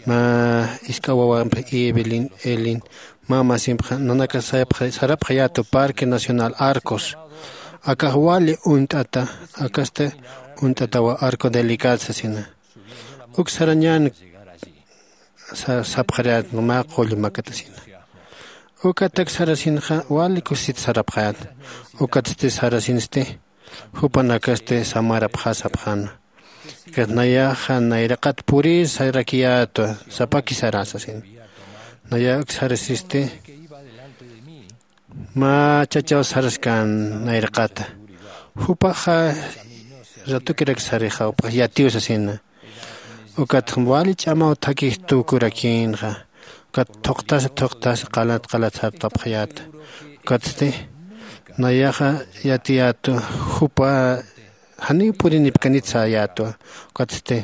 mä jisk'a wawampi Evelyn, Elin, mä masimpxa, nanaka sarapxayätu Parque Nacional Arcos. Akax wali uñt'ata, akasti uñt'atawa Arco Delicado sasina. Uk sarañän sapxarayät mä qull makatasina. Ukatak sarasinxa wali kusisit sarapxayät. Ukatsti sarasinsti, jupanakasti samarapxä sapxäna. Ukat nayaxa nayraqat purir sarakiyätwa, sapaki sara sasin. Nayax uk sarasisti, mä chachaw saraskän nayraqata. Jupaxa ratukirak sarixa, jupax yatiw sasina. Ukat wali ch'amaw thakix tukurakïnxa. Ukat thuqtasa, thuqtasa, qalat, qalat sartapxayäta. Ukatsti, nayaxa yatiyätwa, jupa janiw purinipkanit säyätwa. Ukatsti,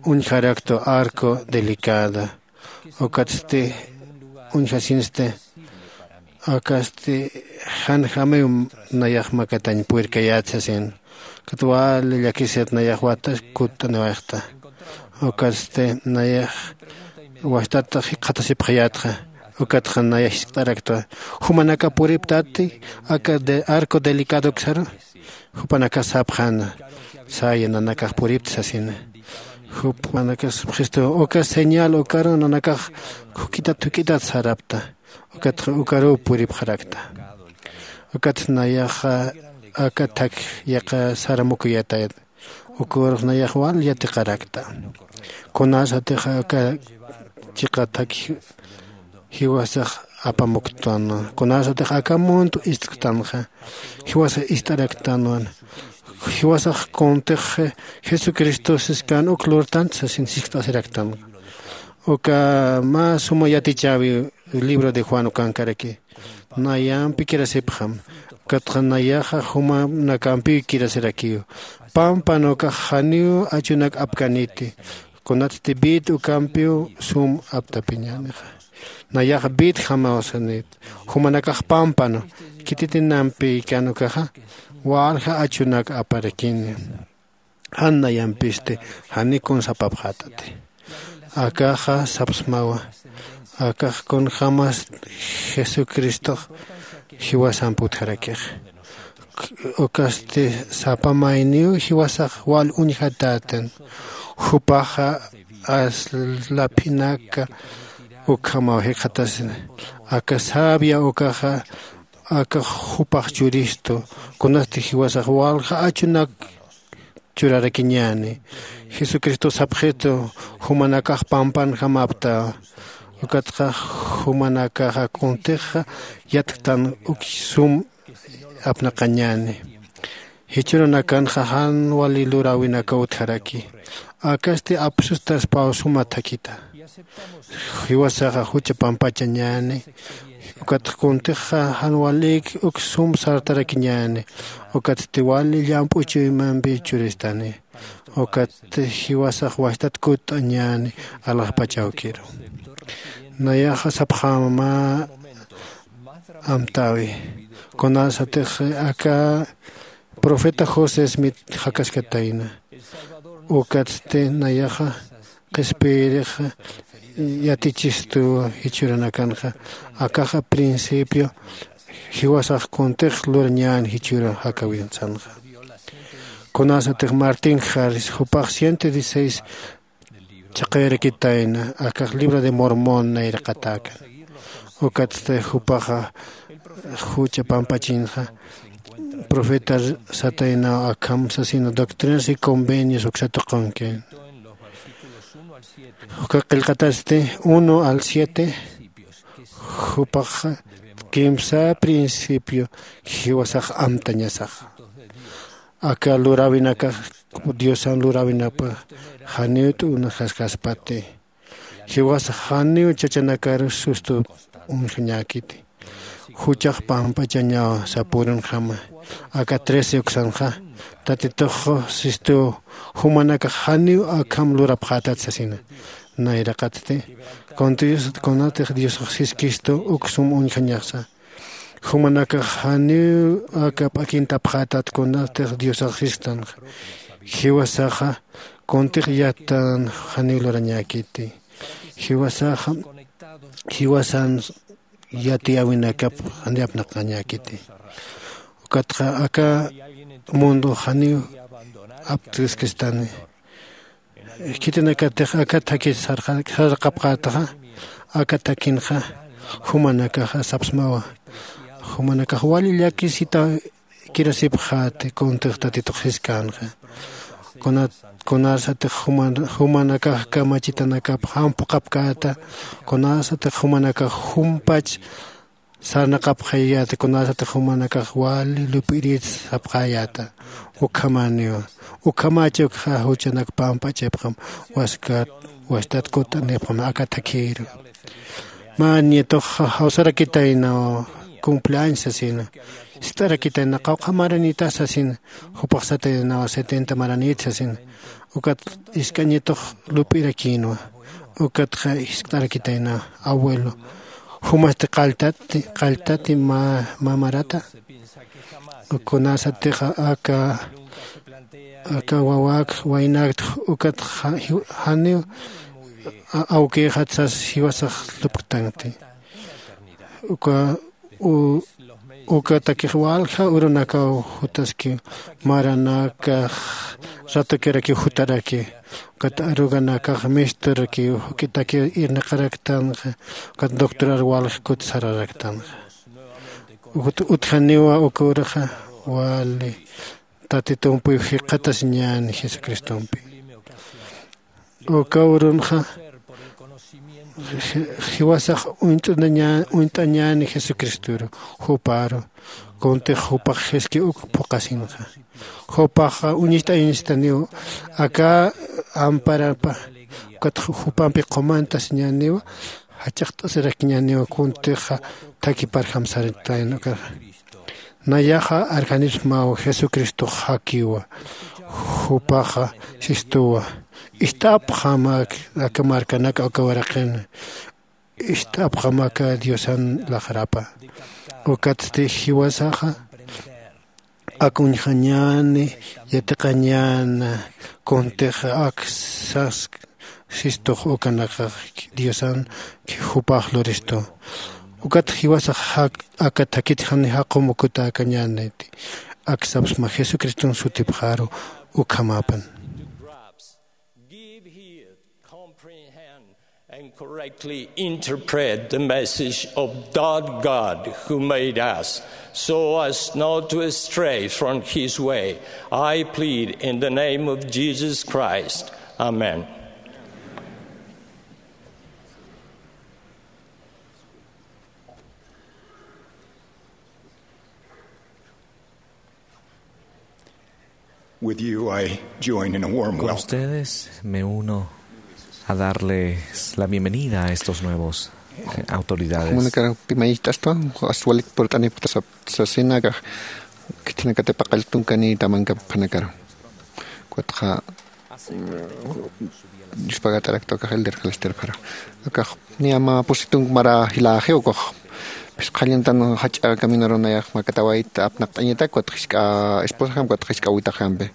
uñjaraktwa Arco Delicado. Ukatsti, uñjasinsti, akasti, janjamiw nayax makatañ purirkayät sasin. Ukat wali llakisir nayax watas kutt'aniwayxta. Ukatsti, nayax wastata jikxatasipxayätxa. Ukatxa nayax jiskt'araktwa. Jumanaka puriptati, aka de, Arco Delicado uksaru. Jupanakax sapxäna, saya nanakax puripta sasina. Jupanakax sapxistu, uka señal ukaru nanakax juk'itat juk'itat sarapta. Ukatxa ukaruw puripxarakta. Ukat nayaxa aka thak yaqha saramukuyatayat. Ukarux nayax wal yatiqarakta. Kunasatixa aka chiqa thak jiwasax apamuktänwa. Kunasatix aka mundo istktanxa, jiwasax ist'araktänwa. Jiwasax kuntix Jesucristo siskän uk lurtant sasin jiskt'asiraktänwa. Uka mä suma yatichäwi libro de Juan ukankaraki. Nayampi kirasipxam. Ukatxa nayaxa jumanakampiw kirasirakiw. Pampan ukax janiw achunak apkaniti. Kunatsti vid ukampiw sum aptapiñänixa. Nayax vidjamaw sanit. Jumanakax pampan khititinampi kan ukaxa, walja achunak aparakini. jan nayampisti janiw kuns apapxätati. Akaxa sapxsmawa, akax kunjämas jesucristox jiwasamp utjarakix. Ukasti sapa mayniw jiwasax wal uñjatätan. Jupaxa aslaphinaka ukhamaw jikxatasina. Aka sabia ukaxa aka jupax churistu, kunasti jiwasax walja achunak churarakiñäni. Jesucristo sapxitu, jumanakax pampanjamapta. Ukatxa jumanakaxa kuntixa yatktan uk sum apnaqañäni. Jichhürunakanxa jan wali luräwinakaw utjaraki. Akasti apsustaspaw suma thakita. Jiwasaxa jucha pampachañäni. Ukatxa kuntixa jan walïk uk sum sartarakiñäni. Ukatsti wali llamp'u chuymampi churistani. Ukat jiwasax wastat kutt'añäni alaxpach awkiru. Nayaxa sapxäma amtäwi. Kunasatix aka profeta José Smith jakaskatayna. Ukatsti nayaxa qhispiyirix yatichistu jichhürunakanxa. Akaxa principio jiwasax kuntix lurañän jichhüru jakäwin sanxa. Kunasatix Martín Harris jupax ciento dieciséis chhaqayarakitayna akax libro de Mormón nayraqatäkan. Ukatsti jupaxa jucha pampachinxa profeta sataynaw akham sasina Doctrinas y Convenios uksa tuqunkin. Uka qillqatasti uno al siete. Jupaxa kimsa principio jiwasax amtañasaxa. Aka luräwinakax diosan luräwinapa janiw t'unaxaskaspati. Jiwasax janiw chachanakaru sustu uñjañäkiti. Juchax pampachañaw sapürunjama. Aka trece uksanxa tatitux sistu jumanakax janiw akham lurapxätat sasina. Nayraqatsti kunatix diosax siskistu uk sum uñjañaxsa. Jumanakax janiw aka p'akintapxätat kunatix diosax sisktanxa. Jiwasaxa kuntix yattan janiw lurañäkiti. Jiwasaxa jiwasan yatiyäwinakap janiw apnaqañäkiti. Ukatxa aka mundo janiw apt'askistani. Khitinakatix aka thakhi sarxapxätaxa aka thakhinxa jumanakaxa sapsmawa. Jumanakax wali llakisita kirasipxäti kuntix tatitux siskänxa. Kunasatix jumanakax kamachitanakap jamp'uqapkäta. Kunasatix jumanakax jumpach sarnaqapxayäta kunasatix jumanakax wali lup'irit sapxäyäta. Ukhamäniwa. Ukhamächi ukxa juchanak pampachipxam wastat kutt'anipxam aka thakhïru. Mä nietuxa jawsarakitaynaw cumpleaños sasina. Jiskt'arakitayna qawqha maranita sasina. Jupax sataynaw setenta maranit sasina. Ukat jisk'a nietux lup'irakïnwa. Ukatxa jiskt'arakitayna abuelo, jumasti qalltati qalltati mamarata? Kunasatixa aka aka wawak waynakt ukat janiw awkixat sas jiwasax lupktanti. Uka ukatakix walja urunakaw jutaskiw. Maranakax ratukirakiw jutaraki. Ukat aruganakax misturakiw juk'itakiw irnaqaraktanxa. Ukat doctorar walja kut sararaktanxa. Utjaniwa uka urxa wali tatitumpiw jikxatasiñäni jesucristompi. Uka urunxa jiwasax uñt'añäni jesucristoru. Juparu kuntix jupax jiski uk phuqhasinxa. Jupaxa uñist'ayañistaniw aka amparapa. Ukat jupampi qumantasiñäniwa jach'aqt'asirakiñäniwa kuntixa thakiparjam saritayn ukaxa. Nayaxa arjanipsmaw jesucristox jakiwa. Jupaxa sistuwa. Ist'apxam aka markanak aka waraqin. Ist'apxam aka diosan laxarapa. Ukatsti jiwasaxa Ak uñjañäni yatiqañäna kuntix ak sask sistux ukanakax diosan jupax luristu. Ukat jiwasax aka thakit jani jaqum ukutäkañäniti. Ak sapsma jesucriston sutipxaru ukhamäpan. Give heed, comprehend, and correctly interpret the message of God, God who made us, so as not to stray from his way. I plead in the name of Jesus Christ. Amen. With you, I join in a warm Con welcome. Ustedes me uno a darles la bienvenida a estos nuevos, eh, autoridades. Jumanakar pimayicht'astwa, as walik purt'anipkta sap-, sasina akax, khitinakati paqalltunkanïta manka phanakar. Ukatxa, mm, yuspagat'arakta akax elder Callister para. Akax, niya mä pusi tunk mara jilaxi ukax. Phisqa qhallantan jach'a caminarun nayax makatawayta apnaqt'añatak, ukat jisk'a esposajam, ukat jisk'a awitaxampi.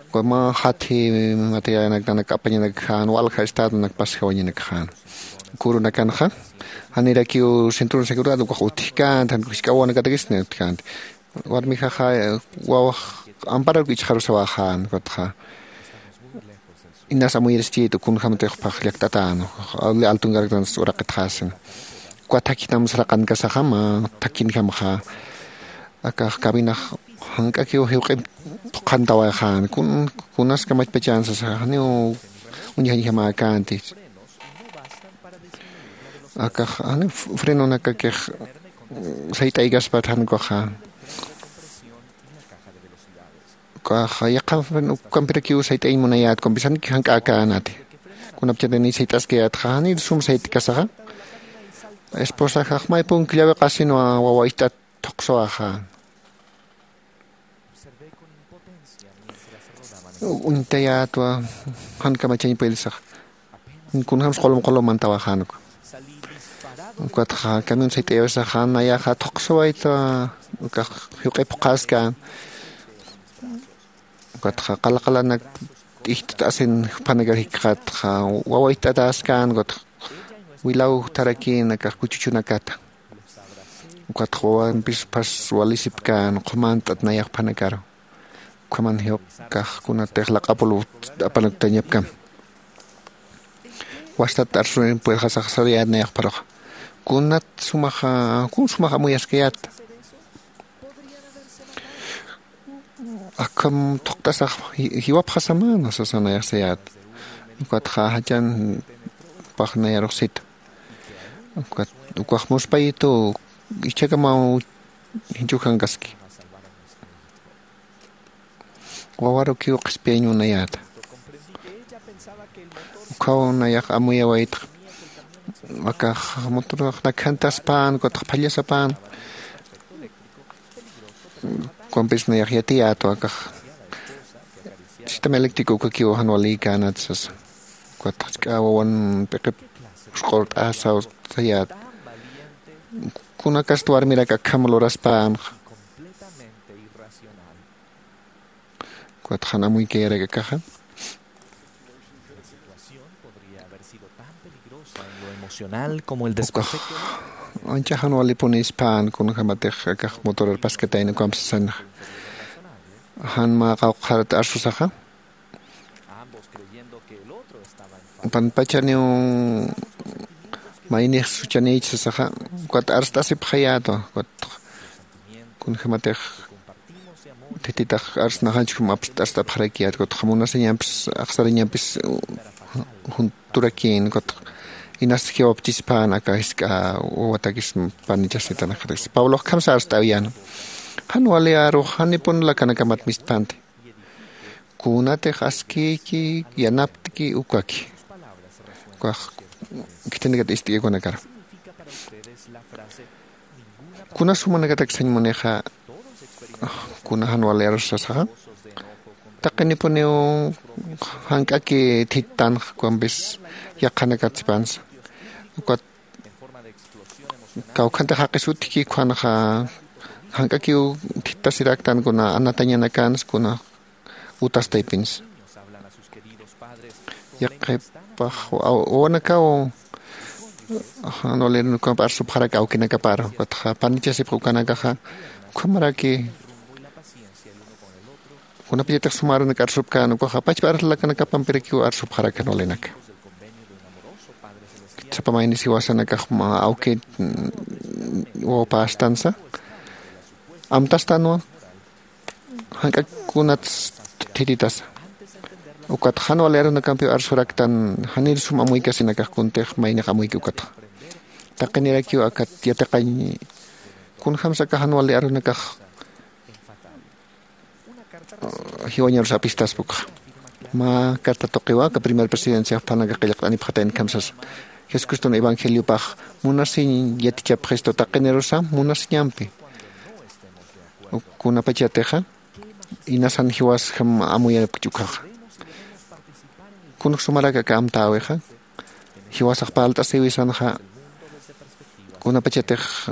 Ukat mä jatji materialnak nanak apañanak jan, walja estadonak pasjawañanak jan. Kurunakanxa, janirakiw cinturón de seguridad ukax utjkänti, jan jisk'a wawanakatakis utjkänti. Warmijaxa, eh, wawax amparar ichxarusawaxän, ukatxa. Inas amuyirischïtu kunjämatix phax llakt'atän, altunkaraktansa uraqitxasin. Ukat thakhinam saraqankasaxa mä thakhinjamxa. Akax cabinax jank'akiw jiwq'imp phuqhantawayxän, kun, kunas kamachpachän sasaxa, janiw uñjañjamäkänti. Akax, janiw frenonakakix sayt'aykaspat jan ukaxa. Ukax yaqha ukampirakiw sayt'añ munayät, ukampis janki jank'äkänati. Kunapachatix niy sayt'askayätxa, janiy sum sayt'kasaxa. Esposajax may punk llawiqasinwa wawa ist'at thuqsawaxa. Uñtayätwa, jan kamachañ puyilsax. Kunjämsa qulum qulum mantawaxän uka. Ukatxa camión sayt'ayawisaxa nayaxa thuqsawayta, ukax jiwq'ip phuqhäskän. Ukatxa qala qalanak t'ijt'asin juphanakar jikxatxa, wawa ist'atäskän, ukatxa wilaw utjarakïn akax kuchuchunakata. Ukatxa wawampis phas walisipkän, qhumant'at nayax juphanakaru. Ukhaman jiwaq kax kunatix laq'apul apanaktañapkam. Wastat arsurin puedxasax sariyät nayax pharuxa. Kunat sumaxa, kun sumax amuyaskayät. Akham thuqt'asax ji-, jiwapxasamana sasa nayax sayät. Ukatxa jachan pax nayarux sita. Ukat, ukax muspayitu ichhakamaw jinchukankaski. Wawarukiw qhispiyañ munayäta. Ukhaw nayax amuyawaytx. Akax motorax nakhantaspän, ukatx phallasapän. Ukampis nayax yatiyätwa akax. Sistema eléctrico ukakiw jan walïkänat sasa. Ukatx jisk'a wawan p'iqip usq'urt'asaw sayät. Kunakast warmirak akham luraspänxa. Ukatxa jan amuykayarak akaxa. Ukax ancha jan walipunispän kunjämatix akax motorar paskatayna ukamp sasanxa. Jan mä qawqharat arsusaxa. Panpachaniw maynix suchanïch sasaxa, ukat arst'asipxayätwa, ukat kunjämatix thititax arsnaxanchkum apst-, arst'apxarakiyät, ukat munasiñampis, axsariñampis, junturakïn, ukat inas jiwapchispän aka jisk'a wawatakis panichasnitanakatakis. Pablox kamsa arst'awiyäna. Jan wali arux, janipun lakanakamat misthpänti. Kunatix askïki, yanaptki, ukaki. Ukax khitinakat ist'ikïkunakar. Kuna sumanakatak sañ munixa, kuna jan wali arus sasaxa. Taqinipuniw jank'aki thittanx, ukampis yaqhanakat sipansa. Ukat kawkhantix jaqis utjki ukhanxa, jank'akiw Tasiraktan kuna anatañanakansa kuna utastaypinsa. Yaqhipax wawanakaw jan walirunakampi arsupxarak awkinakapar ukatxa panichasipx ukanakaxa ukhamaraki kunapachatix suma arunak arsupkän ukaxa pachpa arlakanakapampirakiw arsupxarak jan walinaka. Sapa maynis jiwasanakax awki wawapästansa amtastanwa jank'ak kunats thititasa. Ukatxa jan wali arunakampiw arsuraktan janir sum amuykasinakax kuntix maynix amuyki ukatxa taqinirakiw akat yatiqañ kunjämsa aka jan wali arunakax jiwañarus apistaspa ukxa. Mä carta tuqiwa aka primer presidencia jupanakax qillqt'anipxatayna kamsasa jesucriston evangeliopax munasiñ yatichapxistu taqinirusa munasiñampi. Kunapachatixa inasan jiwasjam amuyapkch ukhaxa. Kunx sumarak aka amtäwixa jiwasax parlt'asïwisanxa kunapachatix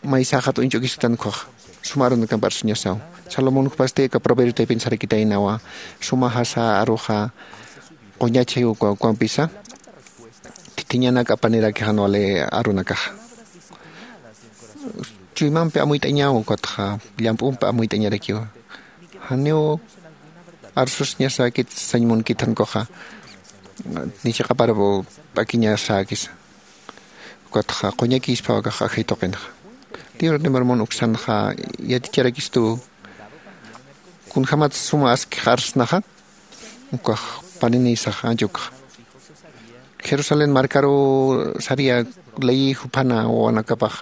maysäxat uñch'ukistan ukhaxa. Suma arunakamp arsuñasaw salomón jupasti aka proverbio taypin sarakitaynawa sumajasa aruxa quñachi ukampisa thithiñanak apaniraki jan wali arunakaxa. Chuymampi amuyt'añaw ukatxa llamp'umpi amuyt'añarakiwa. Janiw arsusiñasäkit sañ munkit jan ukhaxa ni chiqapar p'akiñasäkisa. Ukatxa quñakïspaw akax ajay tuqinxa. Libro de mormón uksanxa yaticharakistuw kunjämat suma askix arsnaxa ukax paninïsax ancha ukxa. Jerusalén markaruw saria leyi juphana wawanakapax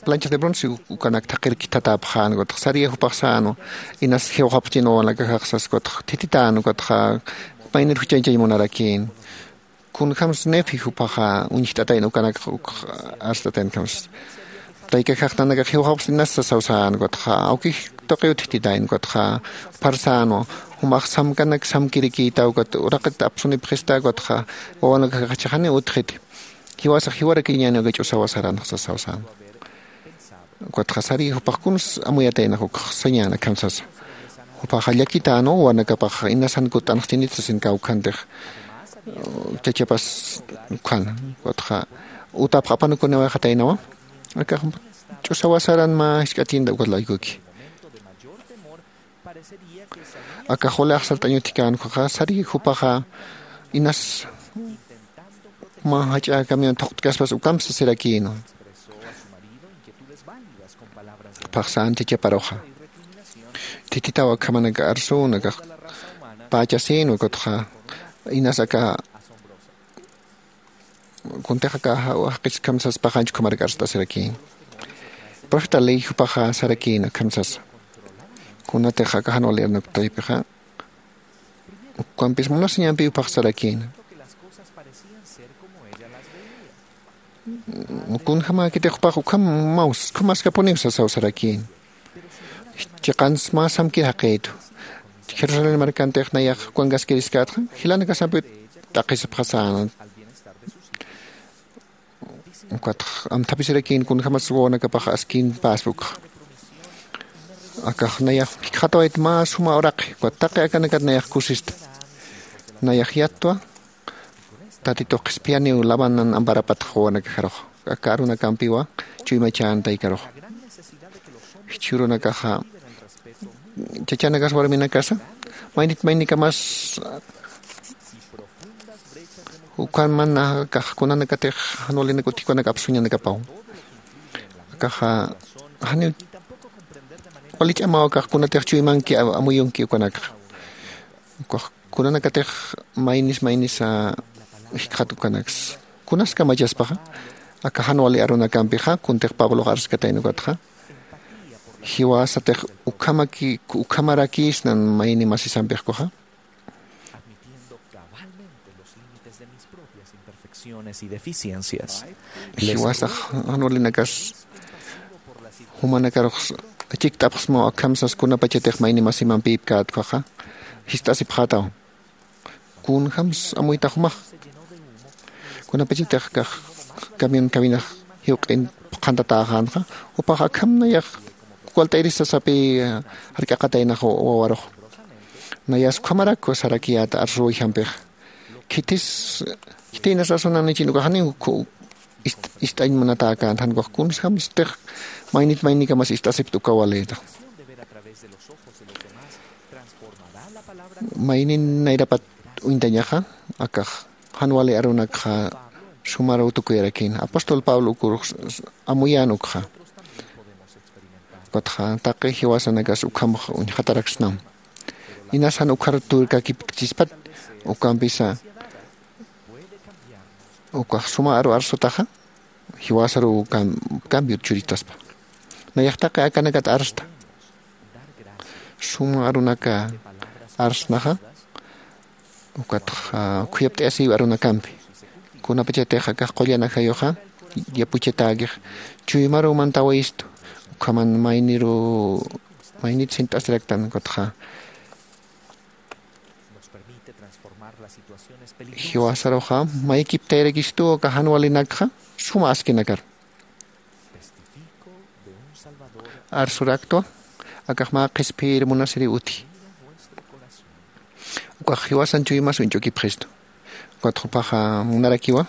planchas de bronce ukanak thaqhir khithatäpxän ukatxa saria jupax sänwa inas jiwxapxchin wawanakaxax sas ukatxa thithitäna ukatxa maynir juchañchañ munarakïn. Kunjämsa nefi jupaxa uñjt'atayna ukanakax ukx arst'atayna kamsa. Taykaxax nanakax jiwxapxsa inas sasaw sän ukatxa awkix tuqiw thithitäyn ukatxa juphar sänwa jumax samkanak samkirikïta ukat uraqit apsunipxista ukatxa wawanakaxaxa janiw utjiti. Jiwasax jiwarakiñäni uka ch'usawa saranxa sasaw sänwa. Ukatxa sari jupax kuns amuyataynax ukx sañäna akham sasa. Jupaxa llakitänwa wawanakapax inasan kutt'anxchinit sasin kawkhantix chachapas ukhana. Ukatxa utapx apanukuniwayxataynawa. Akax ch'usawa saran mä jisk'atinta ukat laykuki. Akax wali axsart'añ utjkän ukhaxa sari jupaxa inas mä jach'a camión thuqt'kaspas ukamp sasirakïnwa. Jupax sän chachaparuxa thithitaw akhamanak arsün akax pächasïnwa ukatxa inas aka kuntix aka jaqis akham sas paqanch ukhamarak arst'asirakïn. Profeta ley jupaxa sarakïn akham sasa kunatix aka jan wali arnak taypixa ukampis munasiñampi jupax sarakïna. Kunjämäkitix jupax ukham maws ukhamaskapuniw sasaw sarakïna. Chiqans mä samkir jaqïtwa. Jerusalén markantix nayax ukankaskiriskatxa jilanakasampiw t'aqhisipxasäna. Ukatx amthapisirakïn kunjämas wawanakapax askimpäspa ukxa. Akax nayax jikxatawayt mä suma uraqi ukat taqi akanakat nayax kusista. Nayax yattwa tatitux qhispiyaniw labanan amparapatx wawanakaxarux aka arunakampiwa chuymachän taykarux. Jichhürunakaxa chachanakas warminakasa maynit maynikamas ukhamanakax kunanakatix jan walinak utjkunak apsuñanakapaw. Akaxa janiw wali ch'amaw akax kunatix chuymanki amuyunki ukanakxa. Ukax kunanakatix maynis maynisa jikxat ukanaksa kunas kamachaspaxa aka jan wali arunakampixa kuntix pablox arskatayna ukatxa jiwasatix ukhamaki ukhamarakïsnan mayni masisampix kuxa. Jiwasax jan walinakas jumanakarux chikt'apxsmaw akham sas kunapachatix mayni masimampïpkät ukhaxa jist'asipxätaw. Kunjämsa amuytax jumax kunapachatix akax camión cabinax jiwq'in phuqhantatäxänxa jupax akham nayax walt'ayris sasapi jark'aqataynax wawarux. Nayas ukhamarak sarakiyäta arsuwayjampixa. Khitis khitiynas asunan nichin ukaxani ist'añ munatäkänti jan ukax kunsjam istix maynit mayninkamas ist'asipta uka walïta. Maynin nayrapat uñtañaxa akax jan wali arunakxa sumaruw tukuyarakïna apóstol pablo ukurux amuyän ukxa. Ukatxa taqi jiwasanakas ukhamx uñxataraksnam. Inas jan ukhar turkakipkchispat ukampisa ukax suma aru arsutaxa jiwasaruw cambiot churitaspa. Nayax taqi akanakat arsta suma arunaka arsnaxa. Ukatxa khuyapt'ayasiw arunakampi kunapachatix akax qullan ajayuxa yapuchatäkix chuymaruw mantawayistu. Ukhaman mayniru maynit sint'asiraktan ukatxa jiwasaruxa maykiptayarakistuw aka jan walinakxa suma askinakar arsuraktwa. Akax mä qhispiyir munasiriw uti ukax jiwasan chuymas uñch'ukipxistu. Ukat jupaxa munarakiwa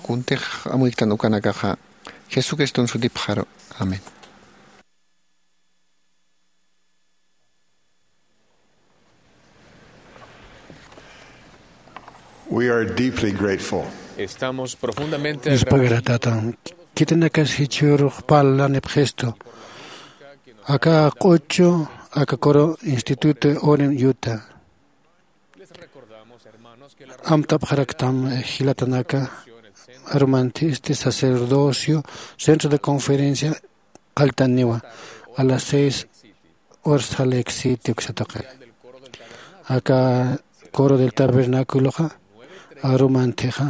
kuntix amuyktan ukanakaxa jesucriston sutipxaru. Amén. We are deeply grateful. Estamos profundamente agradecidos. Khitinakasa jichhürux parlanipxistu aka q'uchu aka kuru instituto oren yuta. Amtapxaraktam jilatanaka arumanthisti sacerdocio centro de conferencia qalltaniwa a las seis horas saleksiti uksataqin aka coro del tabernaculoxa arumanthixa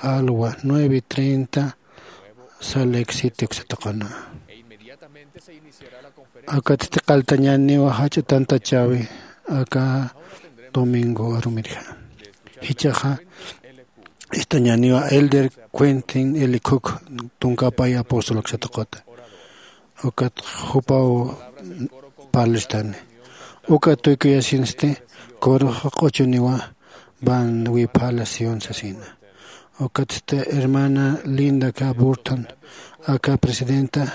alwa nueve treinta saleksiti uksataqana. Akatsti qalltañaniwa jach'a tantachawi aka domingo arumirja jichhaxa ist'añaniwa elder quentin elikhuk tunkapay apóstol uksataqata. Ukat jupaw parlistani uka tuykuyasinsti kuruxa q'uchuniwa van wiphala sion sasina. Ukatsti hermana linda ka burton aka presidenta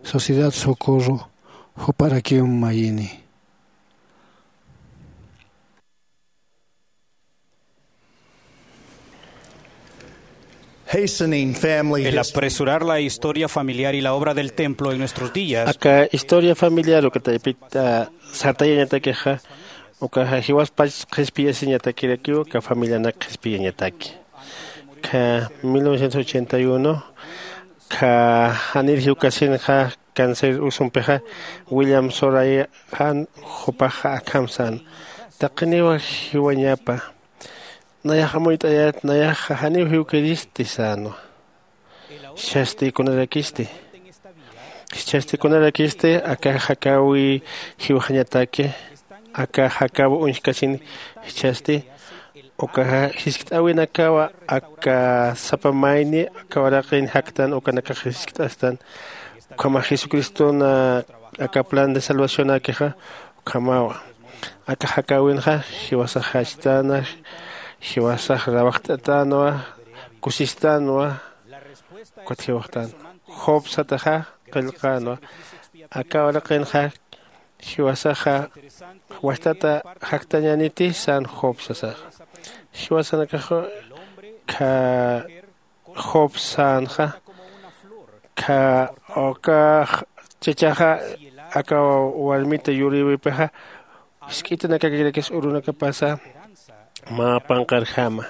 sociedad socorro juparakiw mayini. Hastening family El history. Apresurar la historia familiar y la obra del templo en nuestros días. Aka historia familiar uka taypit sartayañatakixa ukaxa jiwaspach qhispiyasiñatakirakiw uka familianak qhispiyañataki. Kha mil novecientos ochenta y uno kha janir jiwkasinxa cáncer usumpixa william soray jan jupaxa akham sän taqiniwa jiwañapa. Nayax amuyt'ayät nayaxa janiw jiwkiristi sänwa. Jichhasti kunarakisti jichhasti kunarakisti aka jakäwi jiwxañataki aka jakäwi uñjkasin jichhasti ukaxa jiskt'äwinakawa aka sapa mayni aka waraqin jaktan ukanakax jiskt'astan. Ukhamax jesucriston aka plan de salvacionäkixa ukhamawa aka jakäwinxa jiwasax jachtäna jiwasax rawajt'atänwa kusistanwa. Ukat jiwxtan job sataxa qillqänwa aka waraqinxa jiwasaxa wajtata jaktañäniti sän job sasaxa. Jiwasanakax kha job sänxa kha uka chachaxa aka warmita yurïwipixa jisk'itanakakirakistu urunakapasa mä panqarjama.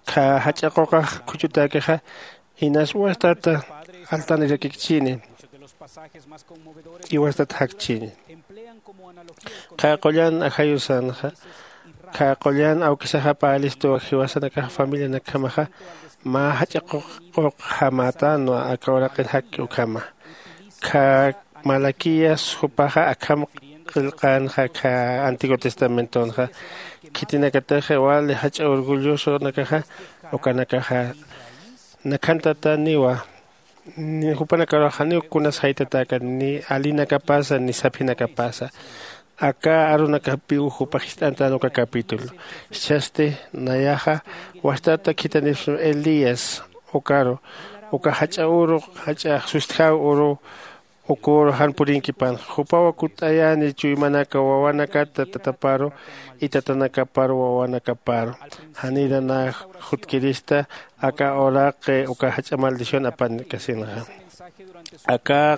Kha jach'a quqax khuchutäkixa inas wajtata altanirakikchini iwastat jakchini. Qha qullan ajayusanxa qha qullan awkisaxa parlistuwa jiwasanakax familianakjamaxa mä jach'a quqjamätanwa aka uraqin jakki ukhama. Kha malaquías jupaxa akham qillqänxa kha antiguo testamentonxa khitinakatix wali jach'a orgullosonakaxa ukanakaxa nakhantataniwa. Ni jupanakaruxa janiw kunas jaytatäkani ni alinakapasa ni saphinakapasa. Aka arunakapiw jupax jist'antan uka capítulo. Jichhasti nayaxa wastata khithanipxsma elías ukaru, uka jach'a uru jach'a sustjaw uru, uküru jan purinkipän jupaw kutt'ayäni chuymanaka wawanakata tataparu y tatanakaparu wawanakaparu. Janira nä jutkirista aka uraqi uka jach'a maldición apankasinxa. Aka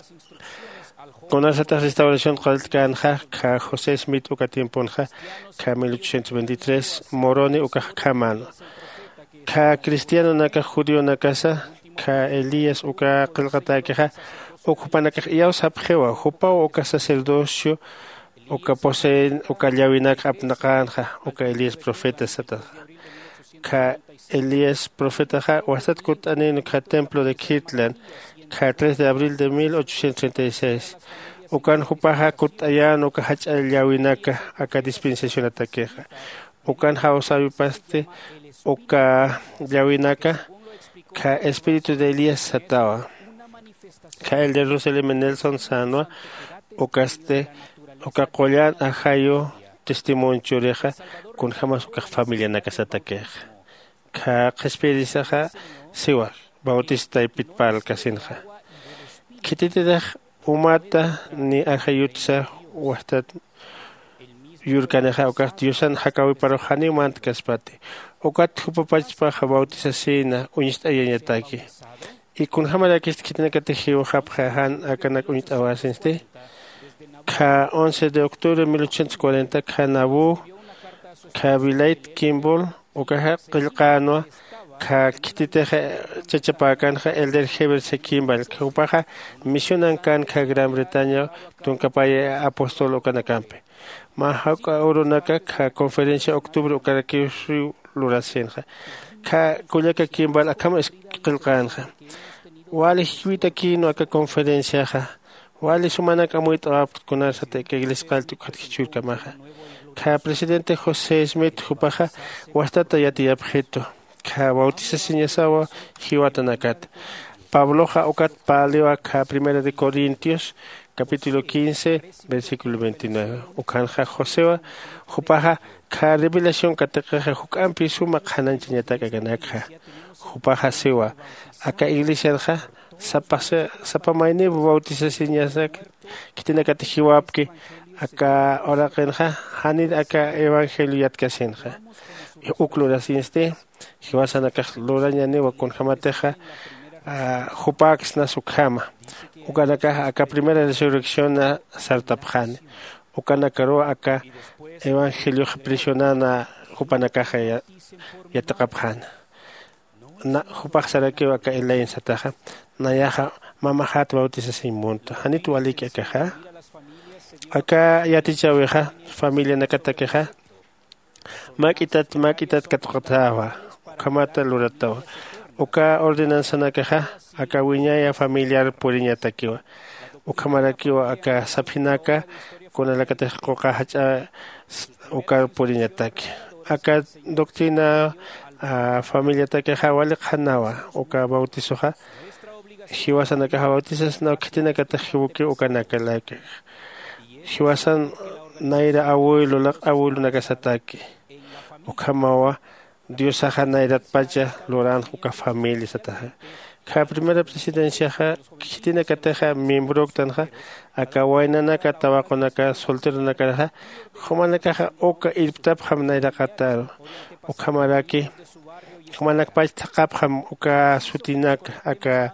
kunasatix restauración qalltkänxa kha josé smith uka tiemponxa kha mil ochocientos veintitrés moroni ukax khamäna. Kha cristianonakax judionakasa kha elías uka qillqatäkixa uk jupanakax iyawsapxiwa jupaw uka sacerdocio uka poseen uka llawinakxa apnaqänxa uka elías profeta sataxa. Kha elías profetaxa wastat kutt'anin kha templo de kirtland kha tres de abril de mil ochocientos treinta y seis. Ukan jupaxa kutt'ayän uka jach'a llawinaka aka dispensacionatakixa. Ukan jawsäwipasti uka llawinaka kha espíritu de elías satawa. Kha el de jerusalem nelson sänwa ukasti uka qullan ajayu testimonio churixa kunjämas ukax familianakasatakixa. Kha qhispiyirisaxa siwa bautista taypit parlkasinxa. Khitititix umata ni ajayutsa wajtat yurkanixa ukax diosan jakäwiparux janiw mantkaspati. Ukat jupapachpaxa bautisasïna uñst'ayañataki. Y kunjämarakist khitinakatix jiwxapxa jan akanak uñt'awasinsti? Kha once de octubre mil ochocientos cuarenta kha nabu kha vilayt kimball ukaxa qillqänwa. Kha khititix chachapäkanxa elder heber sekimball jupaxa misionankän kha gran bretaña tunkapay apostol ukanakampi. Mä jawk'a urunaka kha conferencia octubre ukarakiw lurasïnxa. Kha kullaka kimball akham qillqänxa. Wali jiwitakïnwa aka conferenciaxa. Wali sumanak amuyt'awapkt kunarsat aka iglesia qallt'uk jatkichürkamaxa. Kha presidente josé smith jupaxa wastata yatiyapxitu kha bautisasiñasawa jiwatanakata. Pabloxa ukat parliwa kha primera de corintios capítulo quince versículo veintinueve. Ukhanxa josewa jupaxa kha revelación katiqixa juk'ampi suma qhanañchañatak akanakxa. Jupaxa siwa aka iglesianxa sapa mayniw bautisasiñasak khitinakatix jiwapki. Aka uraqinxa janir aka evangelio yatkasinxa. Uk lurasinsti jiwasanakax lurañaniwa kunjämatixa jupäksnas ukhama. Ukanakaxa aka primera resurrecciona sartapxani. Ukanakaruw aka evangeliox prisionana jupanakaxa yatiqapxäna. Jupax sarakiw aka elaine sataxa nayaxa mamaxat bautisasiñ munta janit walïki akaxa. Aka yatichäwixa familianakatakixa mäk'itat mäk'itat katuqatäwa. Ukhamata luratawa uka ordenanzanakaxa aka wiñaya familiar puriñatakiwa. Ukhamarakiwa aka saphinaka kunalakatix quqa jach'a ukar puriñataki. Aka doctrina familiatakixa wali qhanawa uka bautisoxa. Jiwasanakaxa bautisasnaw khitinakatix jiwkiw ukanakalaki. Jiwasan nayra abuelo laq'a abuelonakasataki. Ukhamawa diosaxa nayratpacha luranx uka familia sataxa. Kha primera presidenciaxa khitinakatixa miembroktanxa aka waynanaka tawaqunaka solteronakaraxa jumanakaxa uka irptapxam nayraqataru. Ukhamaraki jumanakpach thaqhapxam uka sutinaka aka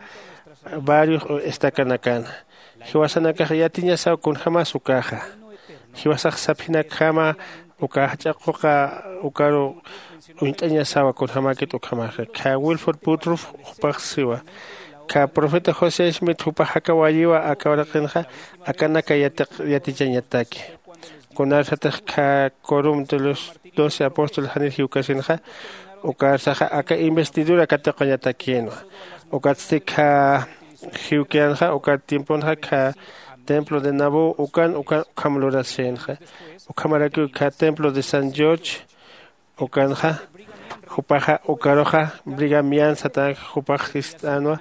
barrios o estacanakana. Jiwasanakax yatiñasaw kunjämas ukaxa. Jiwasax saphinakhama uka jach'a quqa ukaru uñt'añasawa kunjämäkit ukhamaxa. Kha wilford butrof jupax siwa kha profeta josé smith jupax jakawayiwa aka uraqinxa akanaka yatichañataki. Kunarsatix kha corum de los doce apóstoles janir jiwkasinxa ukarsaxa aka investidura katuqañatakïnwa. Ukatsti kha jiwkiyanxa uka tiemponxa kha templo de nabu ukan ukan ukham lurasïnxa. Ukhamarakiw kha templo de san george ukanxa jupaxa ukaruxa brigamian satanxa jupax jist'änwa.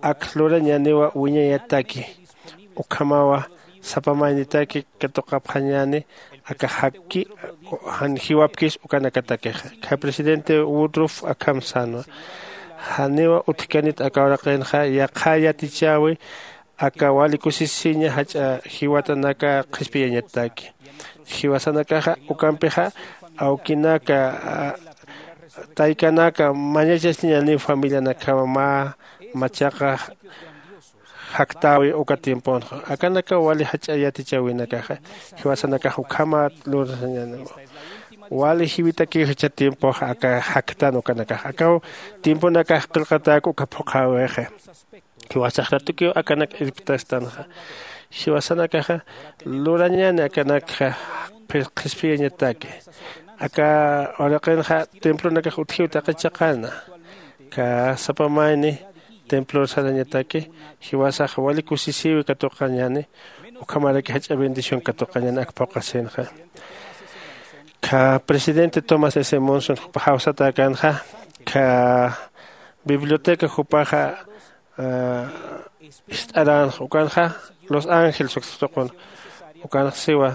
ak lurañäniwa wiñayataki. Ukhamawa sapa maynitaki katuqapxañäni aka jakki jan jiwapkis ukanakatakixa. Kha presidente Woodruff akham sänwa, janiwa utjkanit aka uraqinxa yaqha yatichäwi aka wali kusisiña jach'a jiwatanaka qhispiyañataki. Jiwasanakaxa ukampixa awkinaka, taykanaka mañachastiñäniw familianakjaw mä machaqa jaktäwi uka tiemponxa. Akanakaw wali jach'a yatichäwinakaxa jiwasanakax ukhamat lursañäniwa. Wali jiwitakiw jichha tiempoxa aka jaktan ukanakax akaw tiemponakax qillqatäk uka phuqhäwixa. Jiwasax ratukiw akanak irptastanxa. Jiwasanakaxa lurañäni akanakxa qhispiyañataki. Aka uraqinxa templonakax utjiw taqi chiqana. Aka sapa mayni templor sarañataki jiwasax wali kusisïwi katuqañäni. Ukhamaraki jach'a bendición katuqañäni ak phuqhasinxa. Aka presidente Thomas S Monson jupa jawsatäkänxa aka biblioteca jupaxa ist'aränxa ukanxa Los Ángeles uksa tuqun. Ukanxa siwa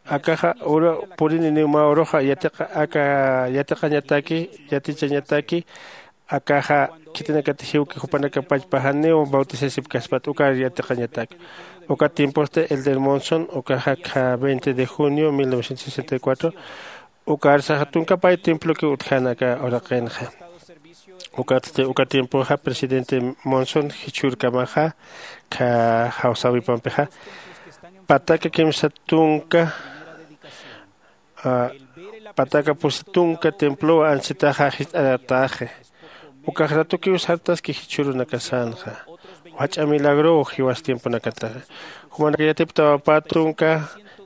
akaxa uru purininiw mä uruxa yatiqa aka yatiqañataki yatichañataki. Akaxa khitinakatix jiwki jupanaka pachpa janiw bautisasipkaspat ukar yatiqañataki. Uka tiemposti Elder Monson ukaxa akha veinte de junio mil novecientos sesenta y cuatro ukar saxa tunka pay templokiw utjän aka uraqinxa. Ukatsti uka tiempoxa presidente Monson jichhürkamaxa akha jawsäwipampixa pataka kimsa tunka pataka pusi tunka templow ansitaxa jist'aratäxi. Ukax ratukiw sartaski jichhürunakasanxa jach'a milagrow jiwas tiemponakataxa. Jumanaka yatiptawa pä tunka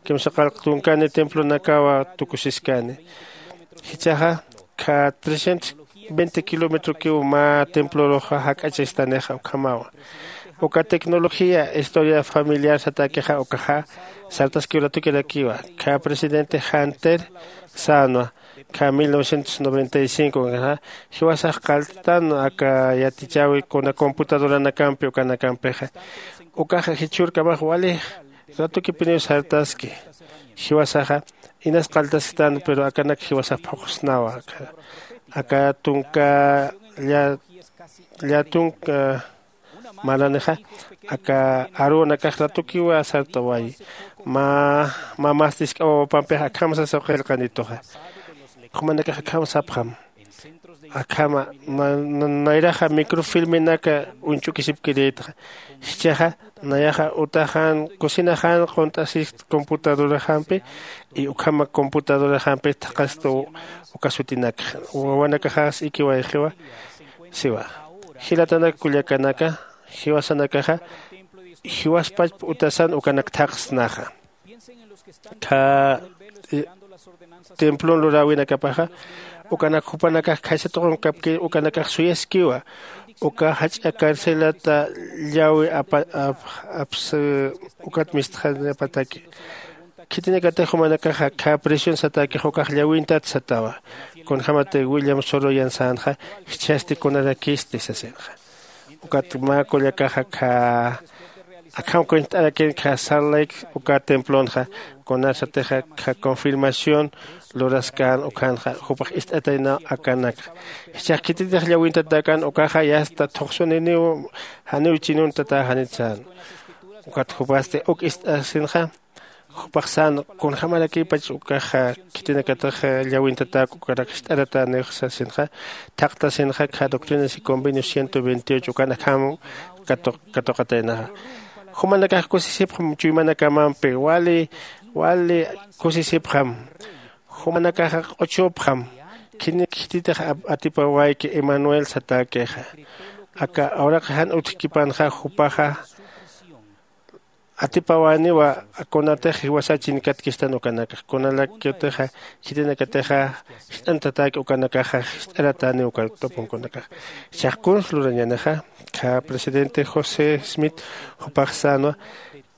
kimsa qallq tunkani templonakawa tukusiskani. Jichhaxa kha trescientos veinte kilometrokiw mä templorux jak'achastanixa ukhamawa. Uka tecnología historia familiar satäkixa ukaxa sartaskiw ratukirakiwa. Kha presidente Hunter sänwa kha mil novecientos noventa y cinco ukanxa jiwasax qallttan aka yatichäwi kuna computadoranakampi ukanakampixa. Ukaxa jichhürkamax walix ratukipiniw sartaski. Jiwasaxa inas qalltasktan pero akanak jiwasax phuqsnawa. Aka tunka lla tunka maranixa aka aruwanakax ratukiwa sartawayi. Mä mä mas tisk'a wawapampixa akham sasa qillqanituxa. Jumanakax akham sapxam akhama nayraxa microfilmenaka uñch'ukisipkirïtxa. Jichhaxa nayaxa utaxan cocinaxan qunt'asist computadoraxampi y ukhama computadoraxampi thaqhasta uka sutinakxa. Wawanakaxax ikiwayxiwa siwa. Jilatanak kullakanaka jiwasanakaxa jiwaspachp utasan ukanak thaqhsnaxa. Kha templon luräwinakapaxa ukanak jupanakax khaysa tuqun kapki ukanakax suyaskiwa. Uka jach'a carcelata llawi apsa ukat mistxanapataki. Khitinakatix jumanakaxa kha presión satäkix ukax llawintat satawa. Kunjämatix william soroyan sänxa jichhasti kunarakisti sasinxa. Ukat mä kullakaxa kha akham cuent'arakin kha salt lake uka templonxa kunasatixa kha confirmación luraskän ukhanxa jupax ist'ataynaw akanakxa. Jichhax khititix llawintatäkän ukaxa yasta thuqsuniniw janiw chinuntatäxanit sän. Ukat jupasti uk ist'asinxa jupax sän kunjämarakïpach ukaxa khitinakatix llawintatäk ukarak jist'aratäniw sasinxa. Thaqtasinxa kha doctrinas y convenios ciento veintiocho ukan akham katuqataynaxa. Jumanakax kusisipxam chuymanakamampi wali wali kusisipxam. Jumanakaxa q'uchupxam khinik khititix atipawayki emanuel satäkixa. Aka awraqi jan utjkipanxa jupaxa atipawaniwa kunatix jiwasa chinkatkistan ukanakax kunalakiwtixa khitinakatixa jist'antatäki ukanakaxa jist'aratäni uka tupunkunakax. Jichhax kuns lurañänixa kha presidente josé smith jupax sänwa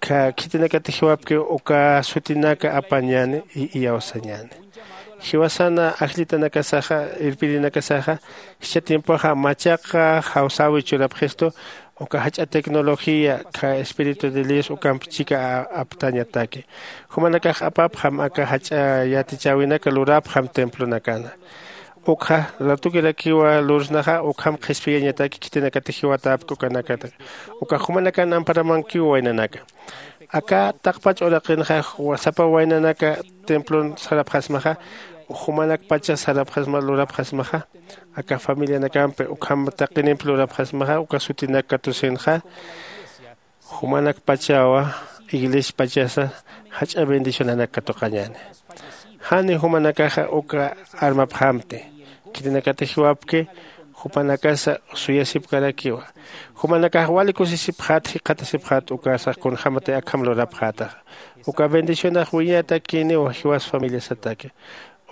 kha khitinakatix jiwapki uka sutinaka apañäni iyawsañäni. Jiwasana ajllitanakasaxa irpirinakasaxa jichha tiempoxa machaqa jawsäwi churapxistu. Uka jach'a tecnología kha espíritu de Dios ukamp chika aptañataki. Jumanakax apapxam aka jach'a yatichäwinaka lurapxam templonakana. Ukxa ratukirakiwa lursnaxa ukham qhispiyañataki khitinakati jiwatäpki ukanakata. Uka jumanakan amparamankiw waynanaka. Aka taqpach uraqinxa sapa waynanaka templon sarapxasmaxa, jumanakpacha sarapxasma lurapxasmaxa, aka familianakampi ukham taqinimpi lurapxasmaxa uka sutinak katusinxa, jumanakpachawa iglesiapachasa jach'a bendicionanak katuqañäni. Jani jumanakaxa uka armapxamti. Khitinakata jiwapki jupanakasa suyasipkarakiwa. Jumanakax wali kusisipxät jikxatasipxät ukasa kunjämati akham lurapxätaxa. Uka bendicionax wiñatakïniwa jiwas familiasataki.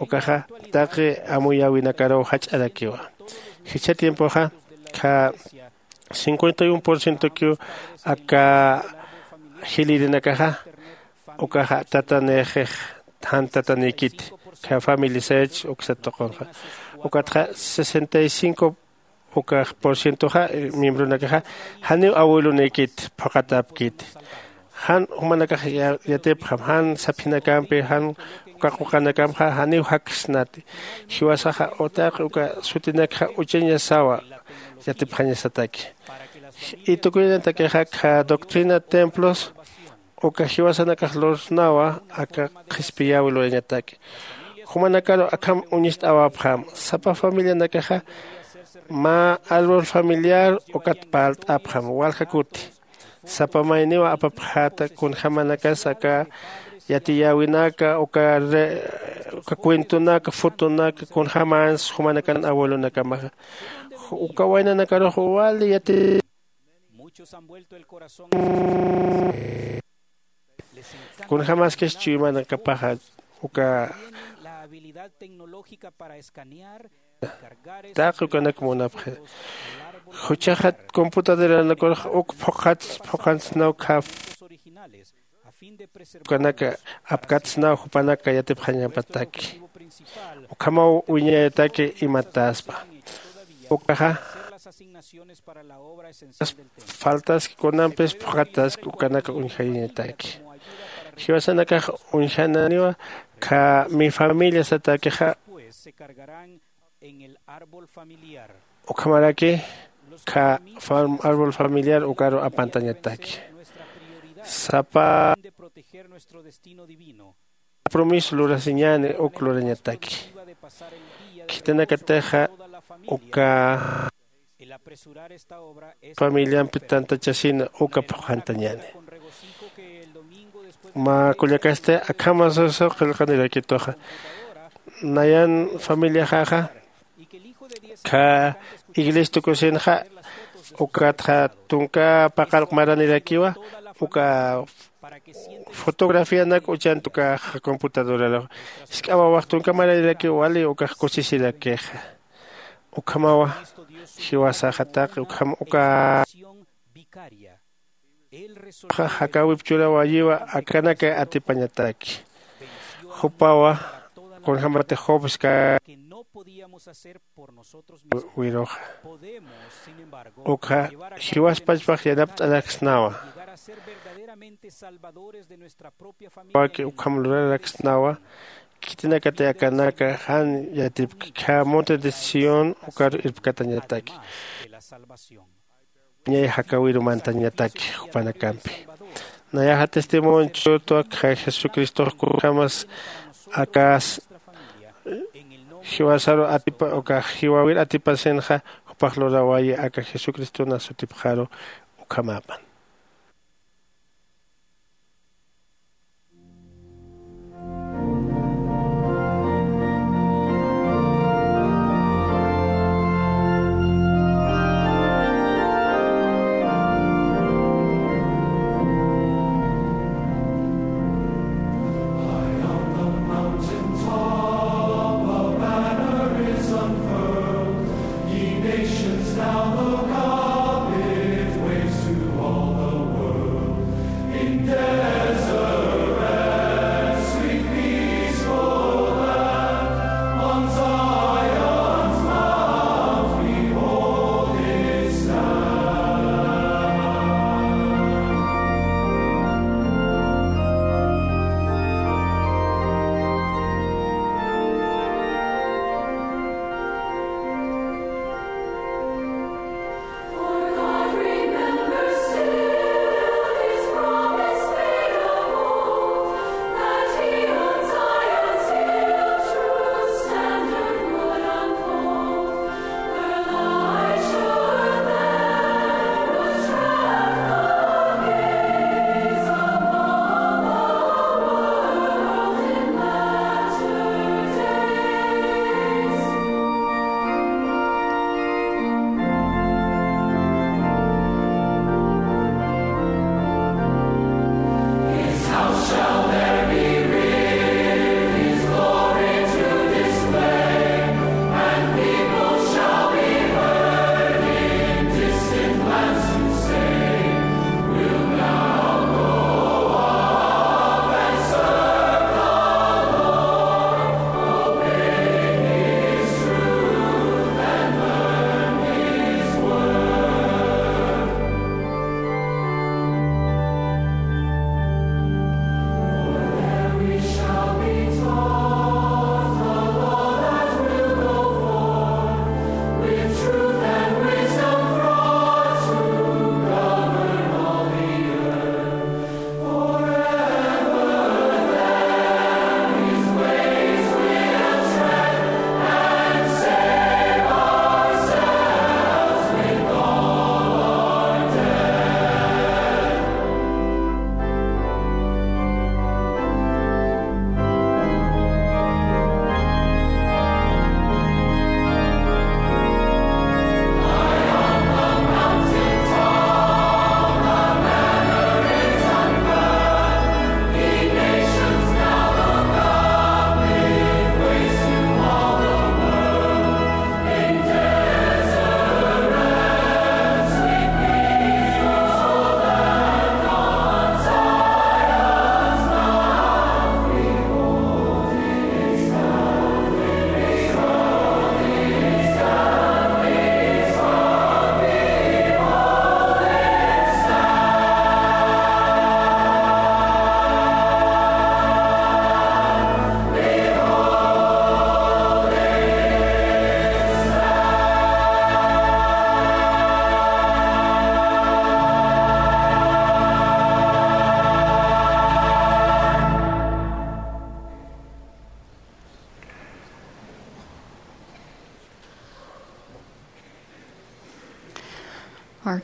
Ukaxa taqi amuyäwinakaruw jach'arakiwa. Jichha tiempoxa kha cincuenta y un por cientokiw aka jilïrinakaxa ukaxa tatanïxix jan tatanïkiti. Kha familia sech uksat tuqunxa ukatxa sesenta y cinco ukax por cientoxa miembronakaxa janiw abuelonïkiti phuqatäpkiti. Jan jumanakax yatipxam jan saphinakampi jan uka quqanakamxa janiw jaksnati. Jiwasaxa utaqi uka sutinakxa uchañasawa yatipxañasataki. Y tukuyanatakixa kha doctrina templos uka jiwasanakax lursnawa aka qhispiyäwi lurañataki. Jumanakaru akham uñist'awapxam sapa familianakaxa mä árbol familiar ukat parlt'apxam walja kuti. Sapa mayniwa apapxäta kunjämanakas aka yatiyäwinaka uka cuentonaka fotonaka kunjämans jumanakan abuelonakamaxa. Uka waynanakarux wali yati kunjämaskis chuymanakapaxa uka taqi ukanak munapxi. Juchaxa computadoranakarux uk phuqhats phuqhantsnaw khaf ukanaka apkatsnaw jupanaka yatipxañapataki. Ukhamaw wiñayataki imataspa ukaxa faltaski kunampis phuqhataski ukanaka uñjayañataki. Jiwasanakax uñjananiwa kha mi familia satakixa ukhamaraki kha árbol familiar ukaru apantañataki. Sapa promiso lurasiñäni uk lurañataki. Khitinakatixa uka familiampi tantachasina uka phuqhantañäni. Mä kullakasti akhama susu qillqanirakituxa nayan familiaxaxa kha iglesia tukusinxa ukatxa tunka paqallq maranirakiwa uka fotografianak uchanti ukaxa computadoraru. Jisk'a wawax tunka maranirakiw wali ukax kusisirakixa. Ukhamawa jiwasaxa taqi ukham uka jakäwip churawayiwa akanaka atipañataki. Jupawa kunjämatix jobska wiruxa ukxa jiwaspachpax yanapt'araksnawa. Waki ukham luraraksnawa. Khitinakati akanaka jan yatipki kha monte de Sión ukaru irpkatañataki. Ñay jakawiru mantañataki jupanakampi. Nayaxa testimonio churtwa kha Jesucristox kunjämas akas jiwasaru atipa uka jiwawir atipasinxa jupax lurawayi aka Jesucristona sutipxaru. Ukhamäpan.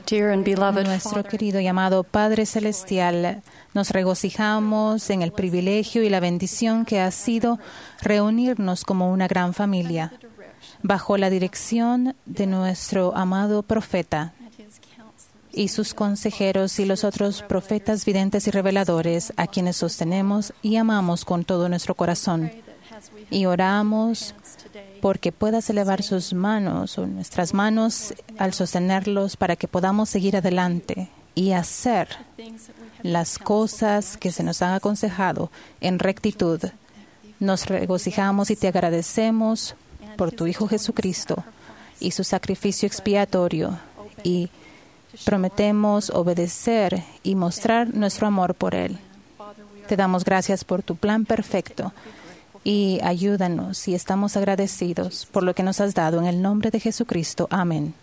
Dear and beloved Nuestro Father, querido y amado Padre Celestial, nos regocijamos en el privilegio y la bendición que ha sido reunirnos como una gran familia, bajo la dirección de nuestro amado profeta y sus consejeros y los otros profetas, videntes y reveladores, a quienes sostenemos y amamos con todo nuestro corazón. Y oramos porque puedas elevar sus manos o nuestras manos al sostenerlos, para que podamos seguir adelante y hacer las cosas que se nos han aconsejado en rectitud. Nos regocijamos y te agradecemos por tu Hijo Jesucristo y su sacrificio expiatorio, y prometemos obedecer y mostrar nuestro amor por Él. Te damos gracias por tu plan perfecto y ayúdanos, y estamos agradecidos por lo que nos has dado, en el nombre de Jesucristo. Amén.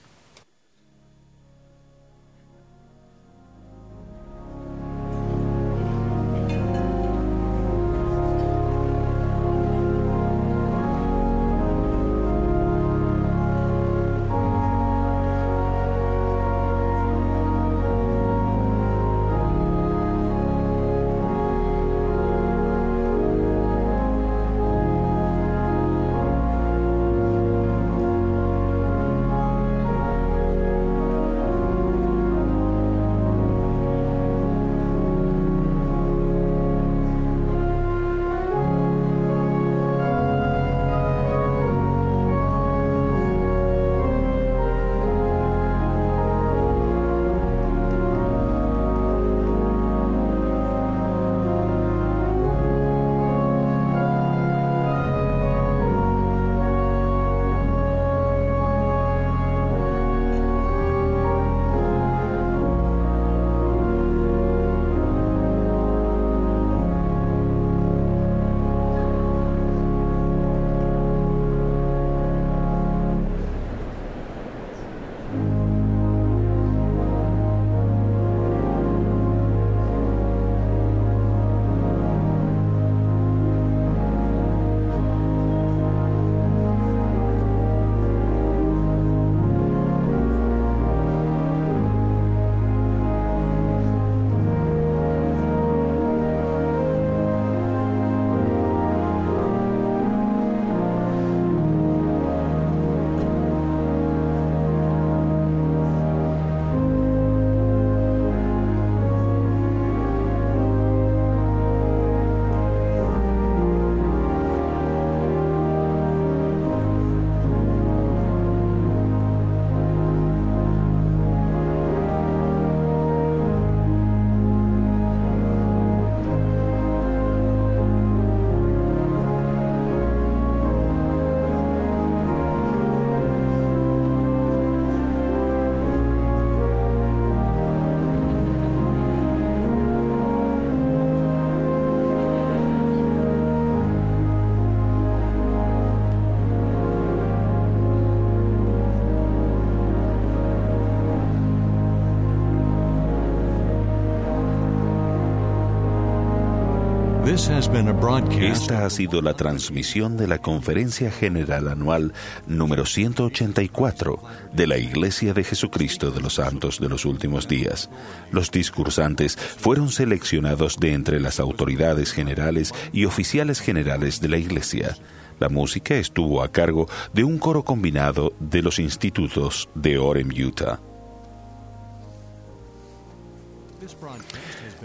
This has been a broadcast. Esta ha sido la transmisión de la Conferencia General Anual número ciento ochenta y cuatro de la Iglesia de Jesucristo de los Santos de los Últimos Días. Los discursantes fueron seleccionados de entre las autoridades generales y oficiales generales de la Iglesia. La música estuvo a cargo de un coro combinado de los institutos de Orem, Utah.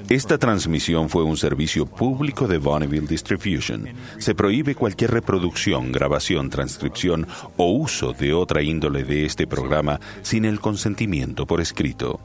Esta transmisión fue un servicio público de Bonneville Distribution. Se prohíbe cualquier reproducción, grabación, transcripción o uso de otra índole de este programa sin el consentimiento por escrito.